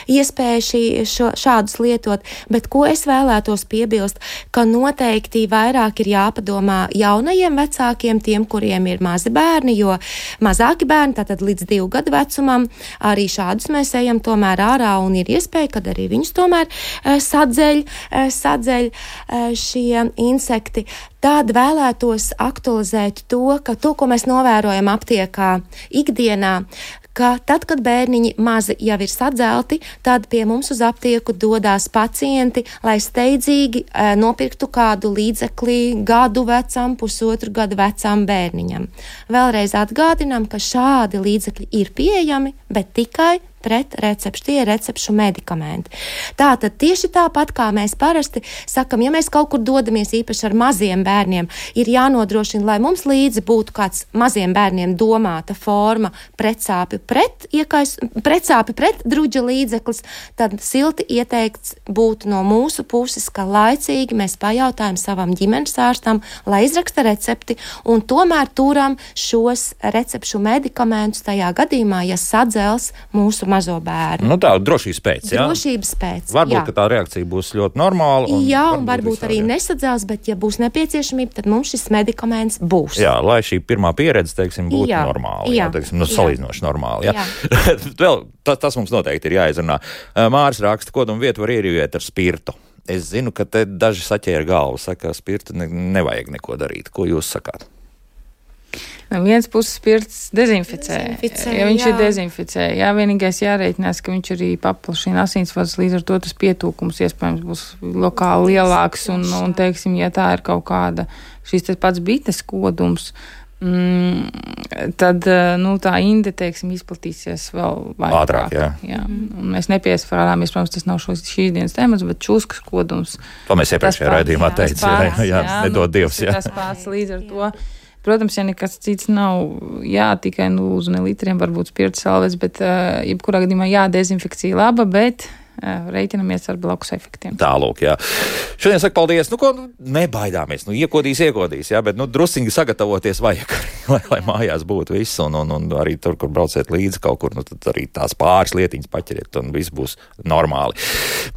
Speaker 2: iespēja šī, šo, šādus lietot, bet ko es vēlētos piebilst, ka noteikti vairāk ir jāpadomā jaunajiem vecākiem, tiem, kuriem ir mazi bērni, jo mazāki bērni, tātad līdz divu gadu vecumam, arī šādus mēs ejam tomēr ārā un ir iespēja, kad arī viņus tomēr uh, sadzeļ, uh, sadzeļ uh, šie insekti. Tad vēlētos aktualizēt to, ka to, ko mēs novērojam aptiekā ikdienā, ka tad, kad bērniņi mazi jau ir sadzelti, tad pie mums uz aptieku dodās pacienti, lai steidzīgi e, nopirktu kādu līdzekli gadu vecam, pusotru gadu vecam bērniņam. Vēlreiz atgādinām, ka šādi līdzekļi ir pieejami, bet tikai pret recepšu, tie ir recepšu medikamenti. Tātad tieši tāpat, kā mēs parasti sakam, ja mēs kaut kur dodamies īpaši ar maziem bērniem, ir jānodrošina, lai mums līdzi būtu kāds maziem bērniem domāta forma pretsāpju pret, iekais, pretsāpju pret druģa līdzeklis, tad silti ieteikts būtu no mūsu puses, ka laicīgi mēs pajautājam savam ģimenes ārstam, lai izraksta recepti un tomēr turam šos recepšu medikamentus tajā gadījumā, ja sadzels mūsu mazo bērnu.
Speaker 1: Nu tā, drošības pēc, jā?
Speaker 2: Drošības pēc,
Speaker 1: varbūt,
Speaker 2: jā.
Speaker 1: ka tā reakcija būs ļoti normāla. Un
Speaker 2: jā, un
Speaker 1: varbūt,
Speaker 2: varbūt arī
Speaker 1: jā.
Speaker 2: nesadzels, bet ja būs nepieciešamība, tad mums šis medikaments būs.
Speaker 1: Jā, lai šī pirmā pieredze, teiksim, būtu
Speaker 2: jā.
Speaker 1: normāla.
Speaker 2: Jā.
Speaker 1: Jā, teiksim, nu, salīdzinoši normāla. Jā.
Speaker 2: Jā.
Speaker 1: Vēl, tas, tas mums noteikti ir jāizrunā. Māris raksta, kodumu vietu var ierīvēt ar spirtu. Es zinu, ka te daži saķēra galvu, saka, spirtu ne, nevajag neko darīt. Ko jūs sakāt?
Speaker 3: No vienas puses spirts dezinficē,
Speaker 2: dezinficē
Speaker 3: ja viņš
Speaker 2: jā.
Speaker 3: ir dezinficē. Jā, vienīgais jārēķinās, ka viņš arī paplašina asinsvadus, līdz ar to tas pietūkums iespējams būs lokāli lielāks, un, un teiksim, ja tā ir kaut kāda šis tas pats bites kodums, mm, tad, nu, tā inde, teiksim, izplatīsies vēl vairāk.
Speaker 1: Ātrāk, jā.
Speaker 3: jā. Un mēs nepiesvarāmies, protams, tas nav šos, šīs dienas temats, bet čūskas kodums.
Speaker 1: To mēs iepriekšējā raidījumā teicām, jā, jā, jā, nedod Dievs, jā.
Speaker 3: Tas pats līdz ar to. Protams, ja nekas cits nav, jā, tikai nu, uz ne litriem varbūt spirta salves, bet uh, jebkurā gadījumā jā, dezinfekcija laba, bet uh, reiķinamies ar blakus efektiem.
Speaker 1: Tālūk, jā. Šodien saka paldies, nu ko, nu, nebaidāmies, nu iekodīs, iekodīs, jā, bet nu drusīgi sagatavoties vajag, lai, lai mājās būtu viss, un, un, un arī tur, kur brauciet līdzi kaut kur, nu tad arī tās pāris lietiņas paķeriet, un viss būs normāli.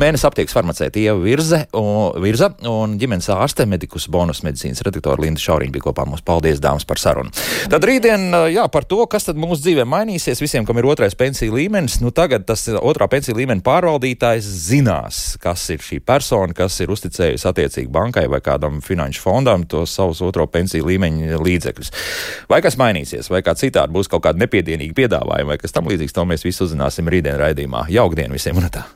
Speaker 1: Mēnesis aptiekas farmaceite Ieva Virze, un, Virza un ģimenes ārste medikus bonus medicīnas redaktore Linda Šauriņa bija kopā mums. Paldies, dāmas, par sarunu. Tad rītdien, jā, par to, kas tad mūsu dzīvē mainīsies, visiem, kam ir otrais pensiju līmenis, nu tagad tas otrā pensiju līmeņa pārvaldītājs zinās, kas ir šī persona, kas ir uzticējusi attiecīgi bankai vai kādam finanšu fondam tos savus otro pensiju līmeņa līdzekļus. Vai kas mainīsies, vai kā citādi būs kaut kāda nepiedienīga piedāvājuma, vai kas tam līdzīgs, to mēs visu uzzināsim rītdien raidījumā. Jaukdien visiem un tā!